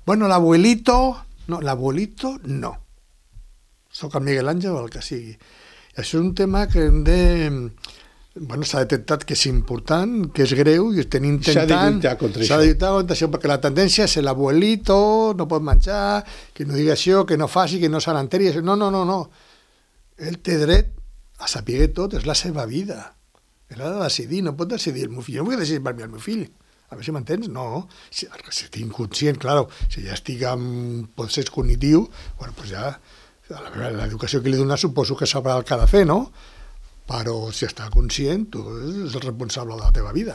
bueno, l'abuelito no. Soc el Miguel Àngel o el que sigui. Això és un tema que hem de... Bueno, s'ha detectat que és important, que és greu, i estem intentant... S'ha de lluitar contra això. S'ha de lluitar contra això, perquè la tendència és l'abuelito, no pot menjar, que no digui això, que no faci, que no se n'enteri. No. Ell té dret a saber tot, és la seva vida. Ell ha de decidir, no pot decidir el meu fill. Jo no vull decidir per mi el meu fill. A veure si m'entens? No. Si estic inconscient, clar, si ja estic amb procés cognitiu, bueno, doncs ja... L'educació que li dona suposo que sabrà el que ha de fer, no? Però si està conscient, tu ets el responsable de la teva vida.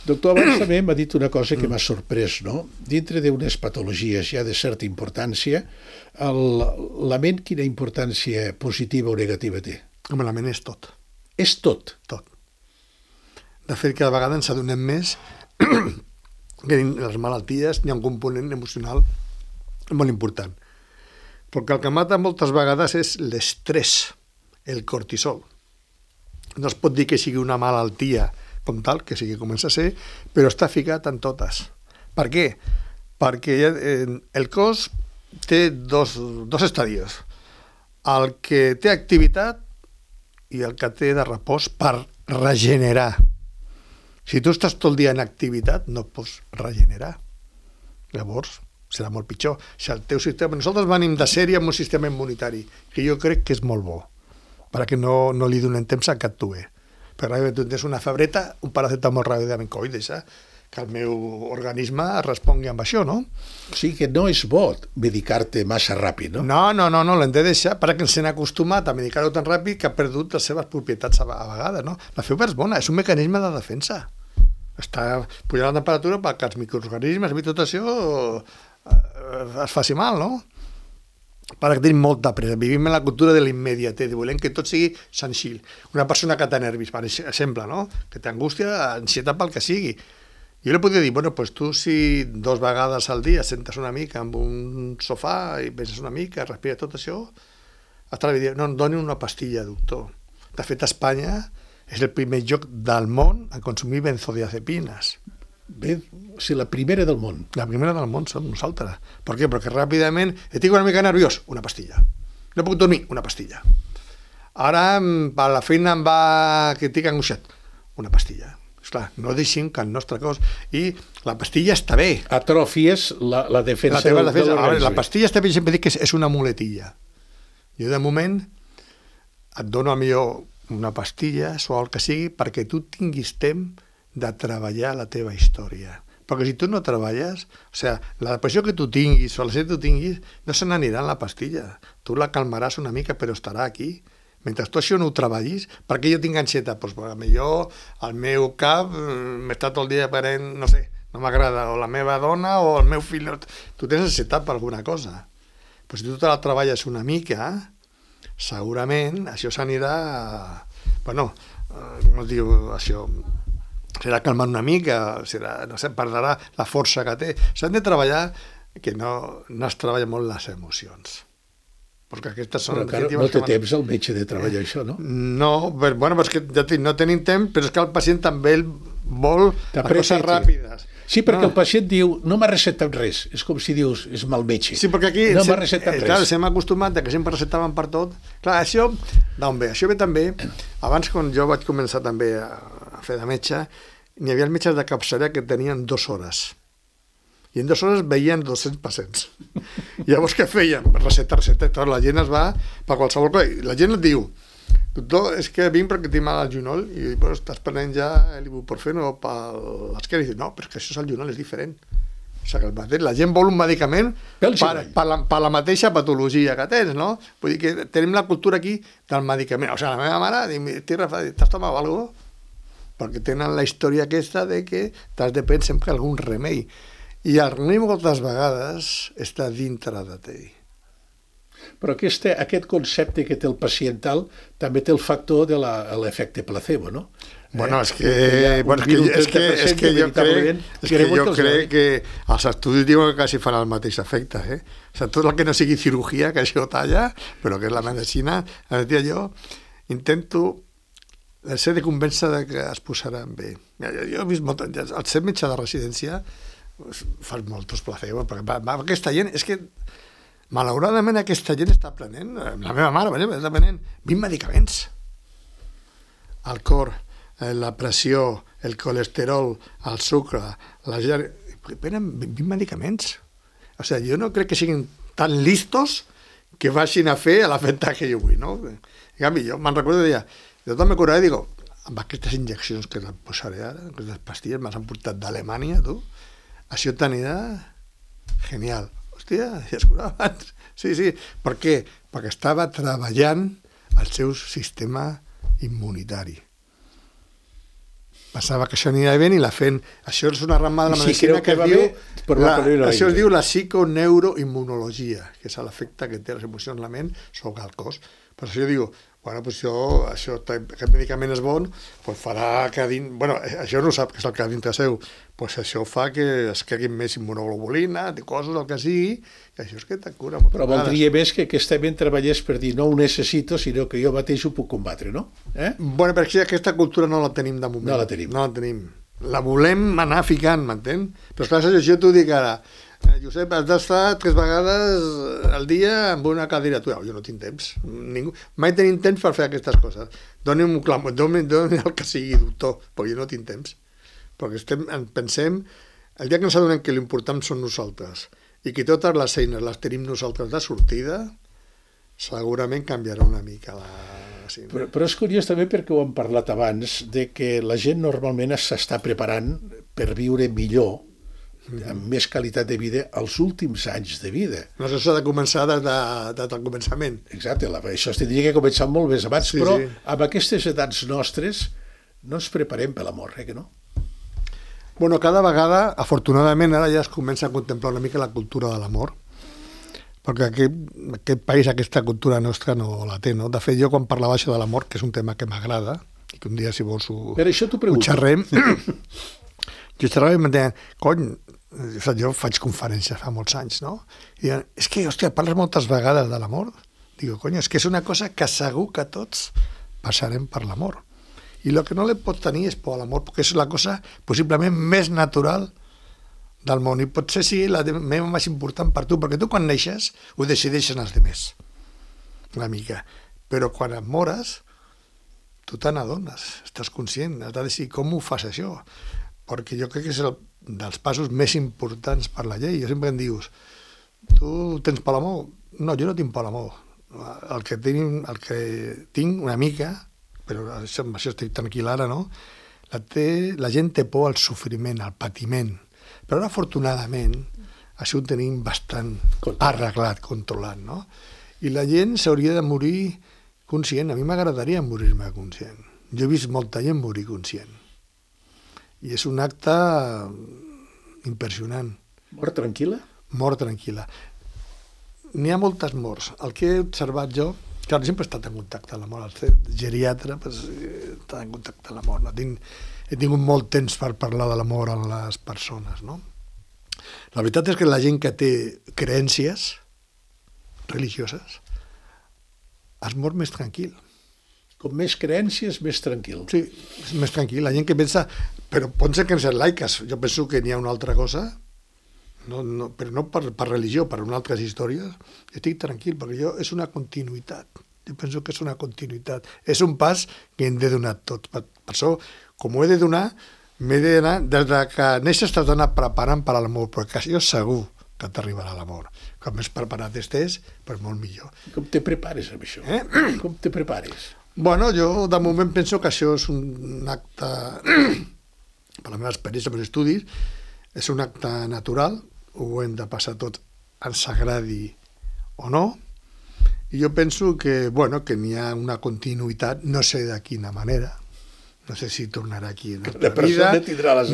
Doctor, abans també m'ha dit una cosa que m'ha sorprès, no? Dintre d'unes patologies ja de certa importància, la ment quina importància positiva o negativa té? Home, la ment és tot. És tot? Tot. De fet, cada vegada ens adonem més que en les malalties hi ha un component emocional molt important. Perquè el que mata moltes vegades és l'estrès, el cortisol. No es pot dir que sigui una malaltia com tal, que sigui comença a ser, però està ficat en totes. Per què? Perquè el cos té dos estadis. El que té activitat i el que té de repòs per regenerar. Si tu estàs tot el dia en activitat, no pots regenerar. Llavors, serà molt pitjor. Si el teu sistema... Nosaltres venim de sèrie amb un sistema immunitari, que jo crec que és molt bo. perquè no li donem temps a que actuï. Perquè tu tens una febreta, un paracetamol ràpidament, coi, deixa que el meu organisme respongui amb això, no? O sigui que no és bo medicar-te massa ràpid, no? No, l'hem de deixar perquè ens hem acostumat a medicar-ho tan ràpid que ha perdut les seves propietats a vegades, no? La febre és bona, és un mecanisme de defensa. Està pujant la temperatura perquè els microorganismes i tot això es faci mal, no? Perquè tenim molta pressa. Vivim en la cultura de l'immediatesa, volem que tot sigui senzill. Una persona que té nervis, per exemple, no? Que té angústia, ansietat pel que sigui. Jo li podria dir, bueno, pues tu si 2 vegades al dia sentes una mica amb un sofà i penses una mica, respires tot això, hasta dir, no, em doni una pastilla, doctor. De fet, Espanya és el primer lloc del món a consumir benzodiazepines. Bé, o sigui, la primera del món. La primera del món som nosaltres. Per què? Perquè ràpidament estic una mica nerviós, una pastilla. No puc dormir, una pastilla. Ara, per la feina em va que estic angoixat, una pastilla. Esclar, no deixem que el nostre cos... I la pastilla està bé. Atrofies la defensa de l'organisme. La pastilla està bé, sempre dic que és una muletilla. Jo, de moment, et dono a millor una pastilla, o el que sigui, perquè tu tinguis temps de treballar la teva història. Perquè si tu no treballes, o sigui, la depressió que tu tinguis o la que tu tinguis, no se n'anirà en la pastilla. Tu la calmaràs una mica, però estarà aquí. Mentre tu això no ho treballis, perquè jo tinc ansietat? Doncs potser el meu cap m'està tot el dia parent, no sé, no m'agrada, o la meva dona o el meu fill. Tu tens ansietat per alguna cosa. Però si tu te la treballes una mica, segurament això s'anirà... Bueno, com es diu això... Serà calmant una mica, no sé, perdrà la força que té. S'han de treballar, que no es treballa molt les emocions. Perquè aquestes són... Però no té temps el metge de treballar això, no? No, bueno, però és que ja no tenim temps, però és que el pacient també vol coses ràpides. Sí, perquè el pacient diu, no m'ha recetat res. És com si dius, és mal metge. Sí, perquè aquí no m'ha recetat res. Clar, s'hem acostumat que sempre recetaven per tot. Clar, això d'on ve? Això ve també, abans quan jo vaig començar també a fer de metge, n'hi havia els metges de capçalera que tenien 2 hores. I en 2 hores veien 200 pacients. Llavors què feien? Receta. La gent es va per qualsevol cosa. La gent et diu, doctor, és que vinc perquè tinc mal al genoll i bueno, estàs prenent ja l'ibuprofeno per l'esquena. I dius, no, però és que això és el genoll, és diferent. O sigui, que la gent vol un medicament per la mateixa patologia que tens, no? Vull dir que tenim la cultura aquí del medicament. O sigui, la meva mare diu, t'has tomat alguna cosa? Perquè tenen la història aquesta de que t'has de prendre sempre algun remei. I el remei moltes vegades està dintre de tu. Però aquest concepte que té el pacient tal també té el factor de l'efecte placebo, no? Bueno, és que jo crec que els estudis diuen que quasi fan el mateix efecte. O sigui, tot el que no sigui cirurgia, que això talla, però que és la medicina, jo intento ser de convèncer que es posaran bé. Jo he vist molt... Al ser metge de residència fas molts placebos, perquè aquesta gent... És que, malauradament, aquesta gent està prenent... La meva mare, per exemple, està prenent 20 medicaments. El cor, la pressió, el colesterol, el sucre, prenen 20 medicaments. O sigui, jo no crec que siguin tan listos que vagin a fer l'efecte que jo vull, no? En canvi, jo me'n recordo i deia... Jo també curaré, digo, amb aquestes injeccions que et posaré ara, aquestes pastilles m'has portat d'Alemanya, tu, això t'anirà genial. Hòstia, ja es curava abans. Sí. Per què? Perquè estava treballant el seu sistema immunitari. Pensava que això anirà bé i la fent... Això és una rama de la medicina que es diu... Això es diu la psiconeuroimmunologia, que és l'efecte que té les emocions en la ment sobre el cos. Per això jo dic, bueno, pues aquest medicament és bon, pues farà que bueno, això no sap que és el que dintre seu, pues això fa que es quedi més immunoglobulina, coses, el que sigui, i això és que te cura moltes vegades. Però voldria més que aquesta treballés per dir no ho necessito, sinó que jo mateix ho puc combatre, no? Bueno, perquè aquesta cultura no la tenim de moment. No la tenim. La volem anar ficant, m'entén? Però clar, jo t'ho dic ara, Josep, has d'estar 3 vegades al dia amb una cadiratura. Jo no tinc temps. Mai tenim temps per fer aquestes coses. Doni'm el que sigui, doctor, perquè jo no tinc temps. Perquè pensem, el dia que ens adonem que l'important són nosaltres i que totes les eines les tenim nosaltres de sortida, segurament canviarà una mica la passin. Però és curiós també perquè ho hem parlat abans, de que la gent normalment s'està preparant per viure millor, amb més qualitat de vida, els últims anys de vida. No, això s'ha de començar des del començament. Exacte, això es tindria que començar molt més abans, però amb aquestes edats nostres no ens preparem per la mort, que no? Bueno, cada vegada, afortunadament, ara ja es comença a contemplar una mica la cultura de l'amor, perquè aquest país, aquesta cultura nostra no la té, no? De fet, jo quan parlava això de l'amor, que és un tema que m'agrada, i que un dia, si vols, ho xerrem, jo xerrava i em deien, cony, jo faig conferències fa molts anys, no? I diuen, és que, hòstia, parles moltes vegades de l'amor. Digo, cony, és que és una cosa que segur que tots passarem per l'amor. I el que no li pot tenir és por a l'amor, perquè és la cosa possiblement més natural del món, i potser sigui la meva més important per tu, perquè tu quan neixes ho decideixen els altres, una mica. Però quan et mores, tu te n'adones, estàs conscient, has de decidir com ho fas això, perquè jo crec que és dels passos més importants per la llei. Jo sempre em dius, tu tens por a l'amor? No, jo no tinc por a l'amor. El que tinc una mica, però això estic tranquil ara, no? La gent té por al sofriment, al patiment, però ara, afortunadament, això ho tenim bastant arreglat, controlat, no? I la gent s'hauria de morir conscient. A mi m'agradaria morir-me conscient. Jo he vist molta gent morir conscient. I és un acte impressionant. Mort tranquil·la? Mort tranquil·la. N'hi ha moltes morts. El que he observat jo, clar, sempre he estat en contacte amb la mort. Al ser geriatre, he estat en contacte amb la mort. He tingut molt temps per parlar de la mort amb les persones, no? La veritat és que la gent que té creences religioses es mor més tranquil. Com més creences, més tranquil. Sí, és més tranquil. La gent que pensa, però pot ser que en ser laiques, jo penso que n'hi ha una altra cosa, però no per religió, per unes altres històries, estic tranquil, perquè és una continuïtat. Jo penso que és una continuïtat. És un pas que hem de donar tots. Per això, com ho he de donar, m'he d'anar, des que neixes t'has d'anar preparant per a l'amor, perquè jo segur que t'arribarà l'amor. Com més preparat estàs, però molt millor. Com te prepares amb això? Com te prepares? Bueno, jo de moment penso que això és un acte, per la meva experiència amb els estudis, és un acte natural, ho hem de passar tots, ens agradi o no, i jo penso que, bueno, que n'hi ha una continuïtat, no sé de quina manera, no sé si tornarà aquí en altra vida,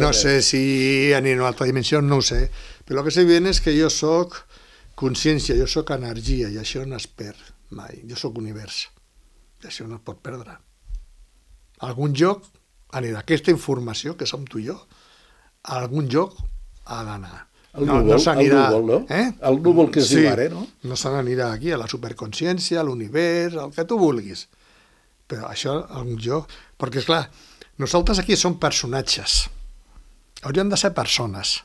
no sé si anirà a una altra dimensió, no ho sé, però el que sé bien és que jo soc consciència, jo soc energia, i això no es perd mai, jo soc univers, i això no es pot perdre. A algun lloc anirà aquesta informació, que som tu i jo, a algun lloc ha d'anar. El núvol, no? El núvol que es diu ara, no? No se n'anirà aquí, a la superconsciència, a l'univers, el que tu vulguis. Però això, a algun lloc... Perquè, esclar, nosaltres aquí som personatges. Hauríem de ser persones.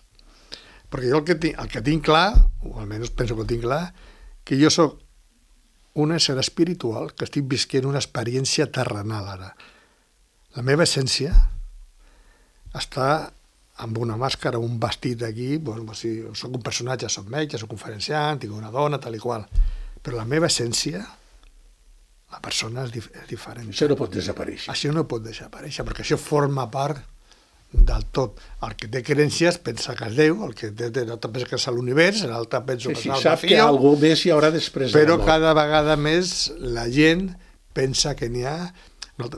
Perquè jo el que tinc clar, o almenys penso que ho tinc clar, que jo sóc un ésser espiritual que estic visquent una experiència terrenal ara. La meva essència està amb una màscara, un vestit aquí, doncs, si soc un personatge, soc metge, soc conferenciant, tinc una dona, tal i qual. Però la meva essència, la persona és diferent. Això no pot desaparèixer. Això no pot desaparèixer, perquè això forma part del tot. El que té creences pensa que és Déu, el que l'altre pensa que és l'univers, l'altre pensa que és sap que alguna més hi haurà després. Però cada vegada més la gent pensa que n'hi ha...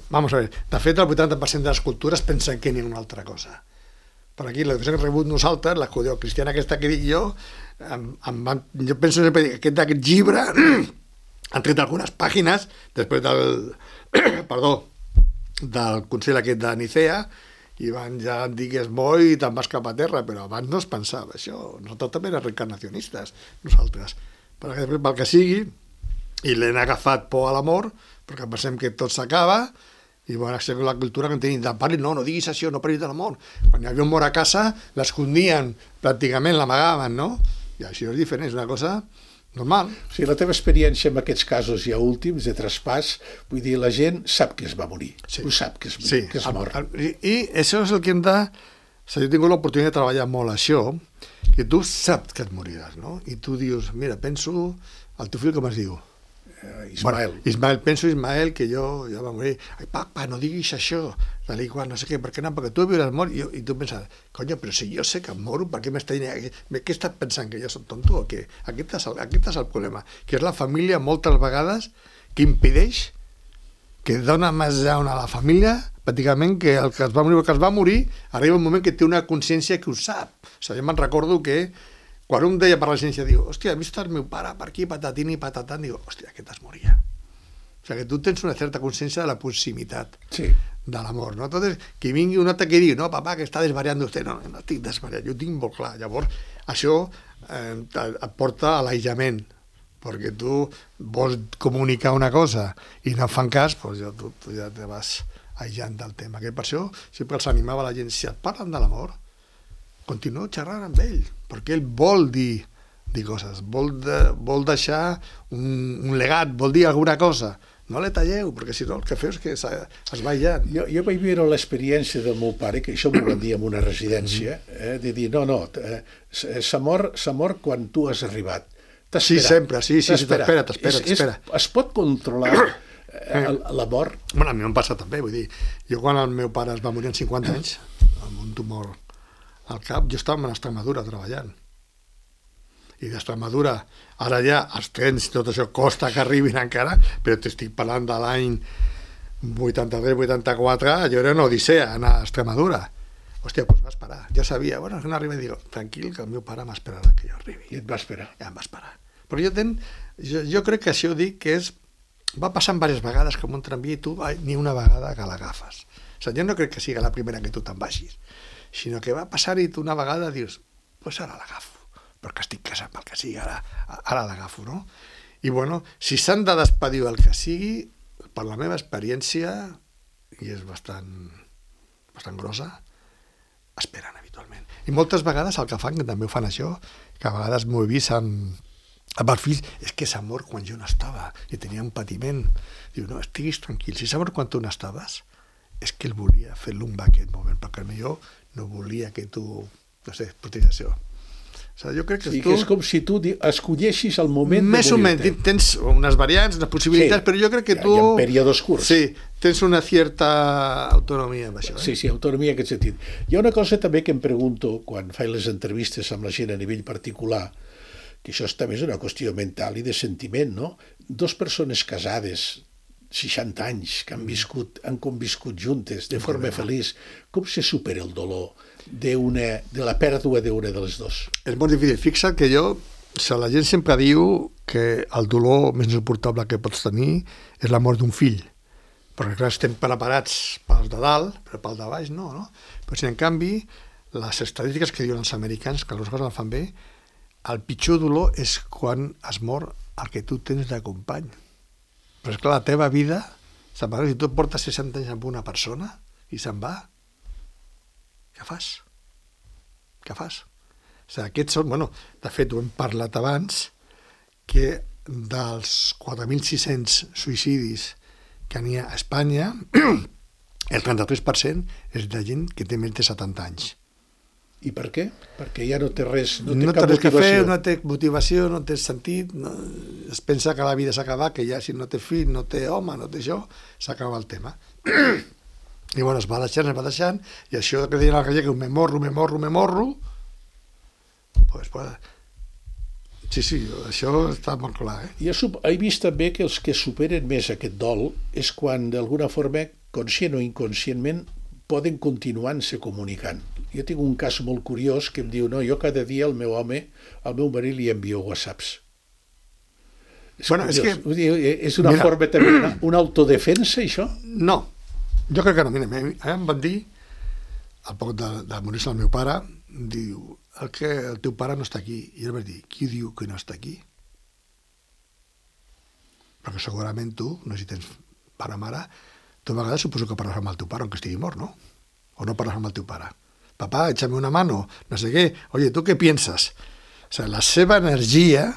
Vamos a ver, de fet el 80% de les cultures pensen que n'hi ha una altra cosa. Per aquí l'educació que hem rebut nosaltres, la judeocristiana aquesta que dic jo, jo penso sempre que aquest llibre han tret algunes pàgines després del Consell aquest de Nicea, i van ja dir que és bo i te'n vas cap a terra, però abans no es pensava això. Nosaltres també érem reencarnacionistes, nosaltres. Perquè després, pel que sigui, i l'hem agafat por a l'amor, perquè pensem que tot s'acaba, i bueno, això és la cultura que en tenim, no diguis això, no parlis de l'amor. Quan hi havia un mort a casa, l'escondien, pràcticament l'amagaven, no? I això és diferent, és una cosa normal. O sigui, la teva experiència en aquests casos ja últims de traspàs, vull dir, la gent sap que es va morir, ho sap que es mor. I això és el que hem de... Jo he tingut l'oportunitat de treballar molt això, que tu saps que et moriràs, no? I tu dius, mira, penso, el teu fill com es diu? Ismael. Bueno, Ismael, penso Ismael, que jo va morir. Ai, papa, no diguis això, tal i qual, no sé què, per què no? Perquè tu viuràs mort. I tu penses, coño, però si jo sé que em moro, per què m'està dient? Què estàs pensant, que jo soc tonto o què? Aquest és el problema, que és la família moltes vegades que impedeix, que dona més jaun a la família, pràcticament que el que es va morir, arriba un moment que té una consciència que ho sap. O sigui, jo me'n recordo que quan un deia per la ciència, diu, hòstia, he vist el meu pare per aquí, patatín i patatant, diu, hòstia, aquest es moria. O sigui, que tu tens una certa consciència de la proximitat de la mort, no? Entonces, que vingui un altre que digui, no, papà, que està desvariant vostè, no estic desvariant, jo ho tinc molt clar. Llavors, això et porta a l'aïllament, perquè tu vols comunicar una cosa i no fan cas, doncs tu ja te vas aïllant del tema. Que per això sempre els animava la gent, si et parlen de la mort, continuo xerrant amb ell, perquè ell vol dir coses, vol deixar un legat, vol dir alguna cosa. No le talleu, perquè si no el que feu és que es va aïllant. Jo vaig viure l'experiència del meu pare, que això m'ho van dir en una residència, de dir, no, s'ha mort quan tu has arribat. Sí, sempre, sí, t'espera. Es pot controlar la mort? Bueno, a mi m'ha passat també, vull dir, jo quan el meu pare es va morir amb 50 anys, amb un tumor al cap, jo estava a Extremadura treballant. I d'Extremadura, ara ja els trens, tot això costa que arribin encara, però t'estic parlant de l'any 83-84, jo era una odissea anar a Extremadura. Hòstia, doncs va esperar. Jo sabia, bueno, no arriba i dic, tranquil, que el meu pare m'esperarà que jo arribi. I et va esperar. Ja em va esperar. Però jo crec que això dic que va passant diverses vegades com un tramvia i tu ni una vegada que l'agafes. O sigui, jo no crec que sigui la primera que tu te'n vagis, sinó que va passar-hi tu una vegada i dius, pues ara l'agafo, perquè estic casat pel que sigui, ara l'agafo, no? I bueno, si s'han de despedir el que sigui, per la meva experiència, i és bastant grossa, esperen habitualment. I moltes vegades el que fan, que també ho fan això, que a vegades m'ho he vist amb els fills, és que s'ha mort quan jo no estava i tenia un patiment. Diu, no, estiguis tranquil, si s'ha mort quan tu no estaves, és que ell volia fer l'umba aquest moment, perquè potser no volia que tu, no sé, protegeixis. O sigui, jo crec que és com si tu escolleixis el moment més o menys, tens unes variants, unes possibilitats, però jo crec que tu... Hi ha períodes curts. Sí, tens una certa autonomia amb això. Sí, autonomia en aquest sentit. Hi ha una cosa també que em pregunto quan faig les entrevistes amb la gent a nivell particular, que això també és una qüestió mental i de sentiment, no? Dos persones casades, 60 anys, que han conviscut juntes de forma feliç, com se supera el dolor de la pèrdua d'una de les dos? És molt difícil. Fixa't que la gent sempre diu que el dolor més insuportable que pots tenir és la mort d'un fill, perquè clar, estem preparats pels de dalt, però pel de baix no? Però si en canvi, les estadístiques que diuen els americans, que les coses el fan bé, el pitjor dolor és quan es mor el que tu tens de company. Però és clar, la teva vida, si tu portes 60 anys amb una persona i se'n va, què fas? O sigui, aquests són, de fet ho hem parlat abans, que dels 4.600 suïcidis que n'hi ha a Espanya, el 33% és de gent que té més de 70 anys. I per què? Perquè ja no té res, no té cap motivació. No té motivació, no té sentit, es pensa que la vida s'ha acabat, que ja si no té fill, no té home, no té això, s'acaba el tema. I bueno, es va deixant, i això que deien al gallec, me morro, pues, sí, això està molt clar. Jo he vist també que els que superen més aquest dol és quan d'alguna forma, conscient o inconscientment, poden continuar-se comunicant. Jo tinc un cas molt curiós que em diu, no, jo cada dia al meu marit li envio whatsapps. És una forma també, una autodefensa, això? No, jo crec que no. Mira, em van dir, al poc de morir-se el meu pare, diu, el teu pare no està aquí. I jo vaig dir, qui diu que no està aquí? Perquè segurament tu, no sé si tens pare o mare, tu a vegades suposo que parles amb el teu pare, aunque estigui mort, ¿no? O no parles amb el teu pare. Papá, échame una mano, no sé què. Oye, ¿tú qué piensas? O sigui, la seva energia,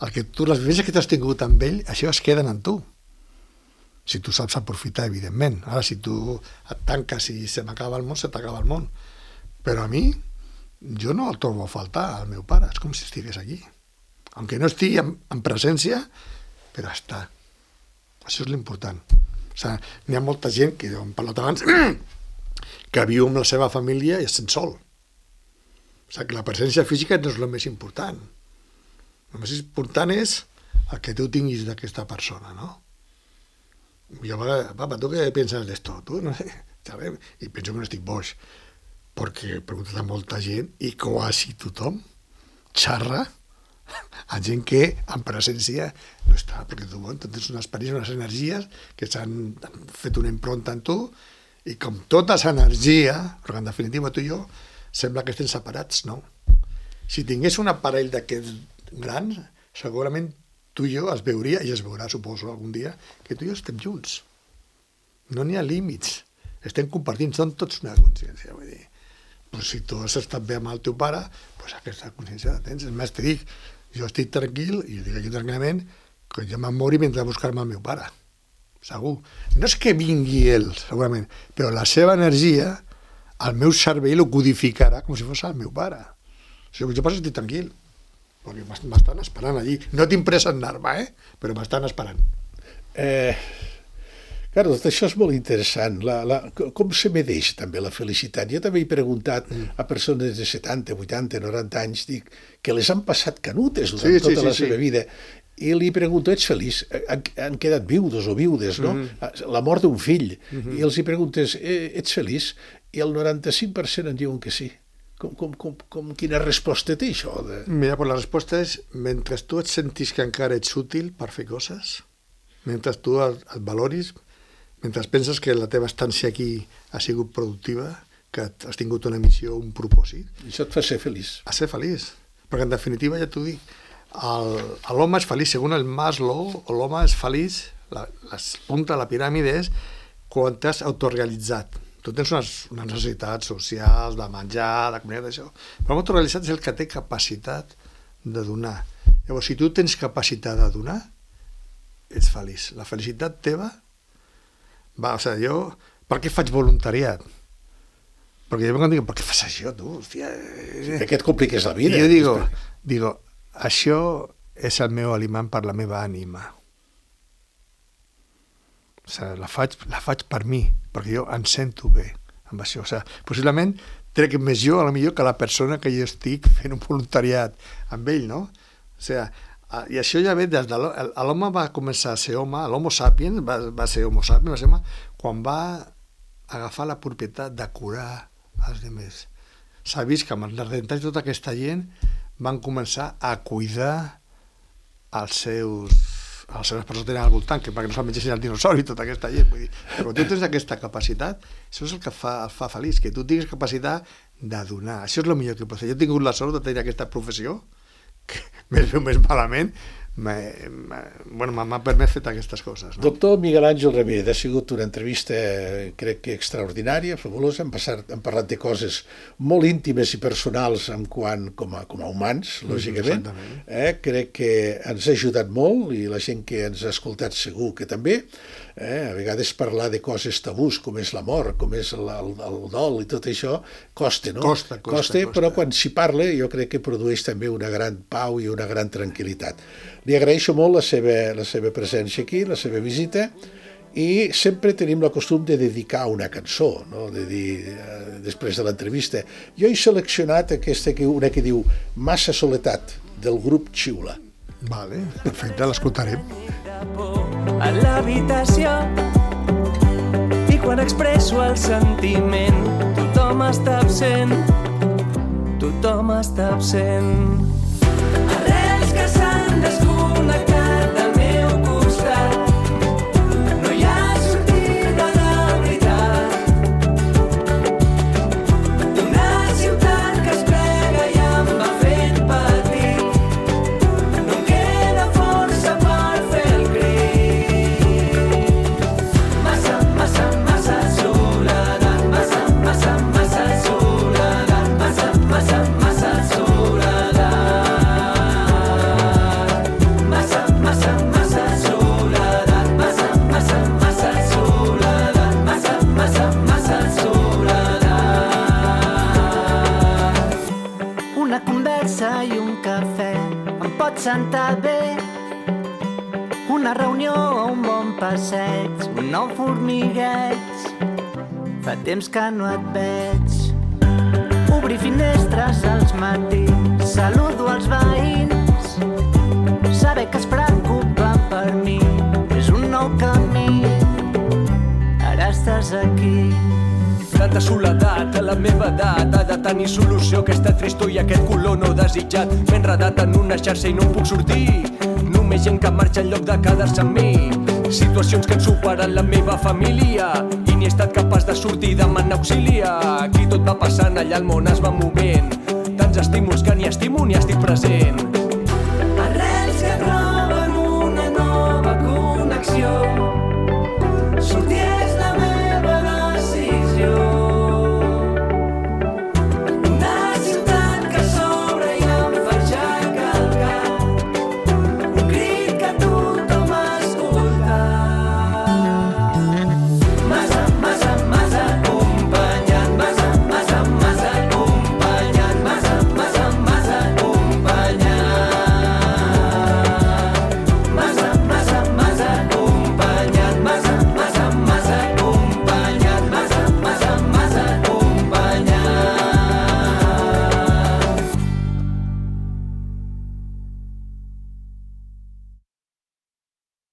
les vivències que t'has tingut amb ell, això es queden en tu. Si tu saps aprofitar, evidentment. Ara, si tu et tanques i se m'acaba el món, se t'acaba el món. Però a mi, jo no el trobo a faltar, al meu pare. És com si estigués aquí. Aunque no estigui en presència, però està. Això és l'important. O sigui, n'hi ha molta gent, que hem parlat abans, que viu amb la seva família i es sent sol. O sigui, que la presència física no és el més important. El més important és el que tu tinguis d'aquesta persona, no? Jo a vegades, papa, tu què penses d'esto? Tu, no sé, ¿sabes? I penso que no estic boix, perquè he preguntat a molta gent i quasi tothom xarra a gent que en presència no està, perquè tu tens unes experiències, unes energies que s'han fet una impronta en tu i com tota aquesta energia, perquè en definitiva tu i jo sembla que estem separats, no? Si tingués un aparell d'aquests grans, segurament tu i jo es veuria, i es veurà, suposo, algun dia, que tu i jo estem junts. No n'hi ha límits. Estem compartint, són tots una consciència. Vull dir, pues si tu has estat bé amb el teu pare, pues aquesta consciència la tens. És més, t'hi dic, jo estic tranquil, i dic aquí tranquil·lament, que jo me'n mori mentre buscar-me el meu pare. Segur. No és que vingui ell, segurament, però la seva energia, el meu cervell ho codificarà com si fos el meu pare. O sigui, jo poso estic tranquil, perquè m'estan esperant allí. No tinc pressa en anar-me, però m'estan esperant. Claro, tot això és molt interessant. Com se medeix també la felicitat? Jo també he preguntat a persones de 70, 80, 90 anys, dic, que les han passat canutes durant tota la seva vida, i li pregunto, ets feliç? Han quedat viudos o viudes, no? La mort d'un fill. I els hi preguntes, ets feliç? I el 95% en diuen que sí. Quina resposta té això? Mira, pues la resposta és, mentre tu et sentis que encara ets útil per fer coses, mentre tu et valoris, mentre penses que la teva estància aquí ha sigut productiva, que has tingut una missió, un propòsit... Això et fa ser feliç. A ser feliç. Perquè en definitiva, ja t'ho dic, l'home és feliç, segons el Maslow, l'home és feliç, la punta de la piràmide és quan t'has autorealitzat. Tu tens unes necessitats socials, de menjar, de comunitat, d'això. Però l'autorealitzat és el que té capacitat de donar. Llavors, si tu tens capacitat de donar, ets feliç. La felicitat teva va, o sigui, jo, per què faig voluntariat? Perquè jo quan dic, per què fas això, tu? Hòstia, que et compliques la vida. I jo digo, això és el meu aliment per la meva ànima. O sigui, la faig per mi, perquè jo em sento bé amb això. O sigui, possiblement trec més jo, potser que la persona que jo estic fent un voluntariat amb ell, no? O sigui, i això ja ve des de l'home va començar a ser home, l'homo sapiens va ser homo sapiens, quan va agafar la propietat de curar els altres. S'ha vist que amb els redentats tota aquesta gent van començar a cuidar els seus persones que tenen al voltant, que perquè no se'l mengessin el dinosauri i tota aquesta gent. Vull dir, quan tu tens aquesta capacitat, això és el que el fa feliç, que tu tinguis capacitat de donar. Això és el millor que pot fer. Jo he tingut la sort de tenir aquesta professió, que més bé o més malament, m'ha permès fer aquestes coses. No? Doctor Miguel Àngel Ramírez, ha sigut una entrevista, crec que extraordinària, fabulosa. Hem parlat de coses molt íntimes i personals com a humans, lògicament. Crec que ens ha ajudat molt i la gent que ens ha escoltat segur que també. A vegades parlar de coses tabús, com és la mort, com és el dol i tot això, costa, no? Costa, però quan s'hi parla jo crec que produeix també una gran pau i una gran tranquil·litat. Li agraeixo molt la seva presència aquí, la seva visita, i sempre tenim la costum de dedicar una cançó, no? De dir, després de l'entrevista. Jo he seleccionat una que diu Massa soledat, del grup Xiula. Vale, perfecte, l'escoltarem. A l'habitació i quan expresso el sentiment tothom està absent, tothom està absent. Arrels que s'han desconnectat del meu costat, no hi ha sortida de veritat. Una ciutat que es plega i em va fent patir, no em queda força per fer el crit. Massa, massa, massa soledat, massa, massa, massa soledat, massa, massa, massa soledat. Massa, massa, massa soledat, massa, massa, massa soledat, massa, massa, massa soledat. Una conversa i un cafè em pot sentar bé. Una passeig, un nou formigueig. Fa temps que no et veig. Obrir finestres als matins, saludo als veïns. Saber que es preocupen per mi és un nou camí. Ara estàs aquí. Tanta soledat a la meva edat ha de tenir solució. Aquesta tristor i aquest color no desitjat. M'he enredat en una xarxa i no em puc sortir. Només gent que marxa en lloc de quedar-se amb mi. Situacions que han superat la meva família i ni he estat capaç de sortir i demanar auxili. Aquí tot va passant, allà el món es va movent. Tants estímuls que ni estimo ni estic present.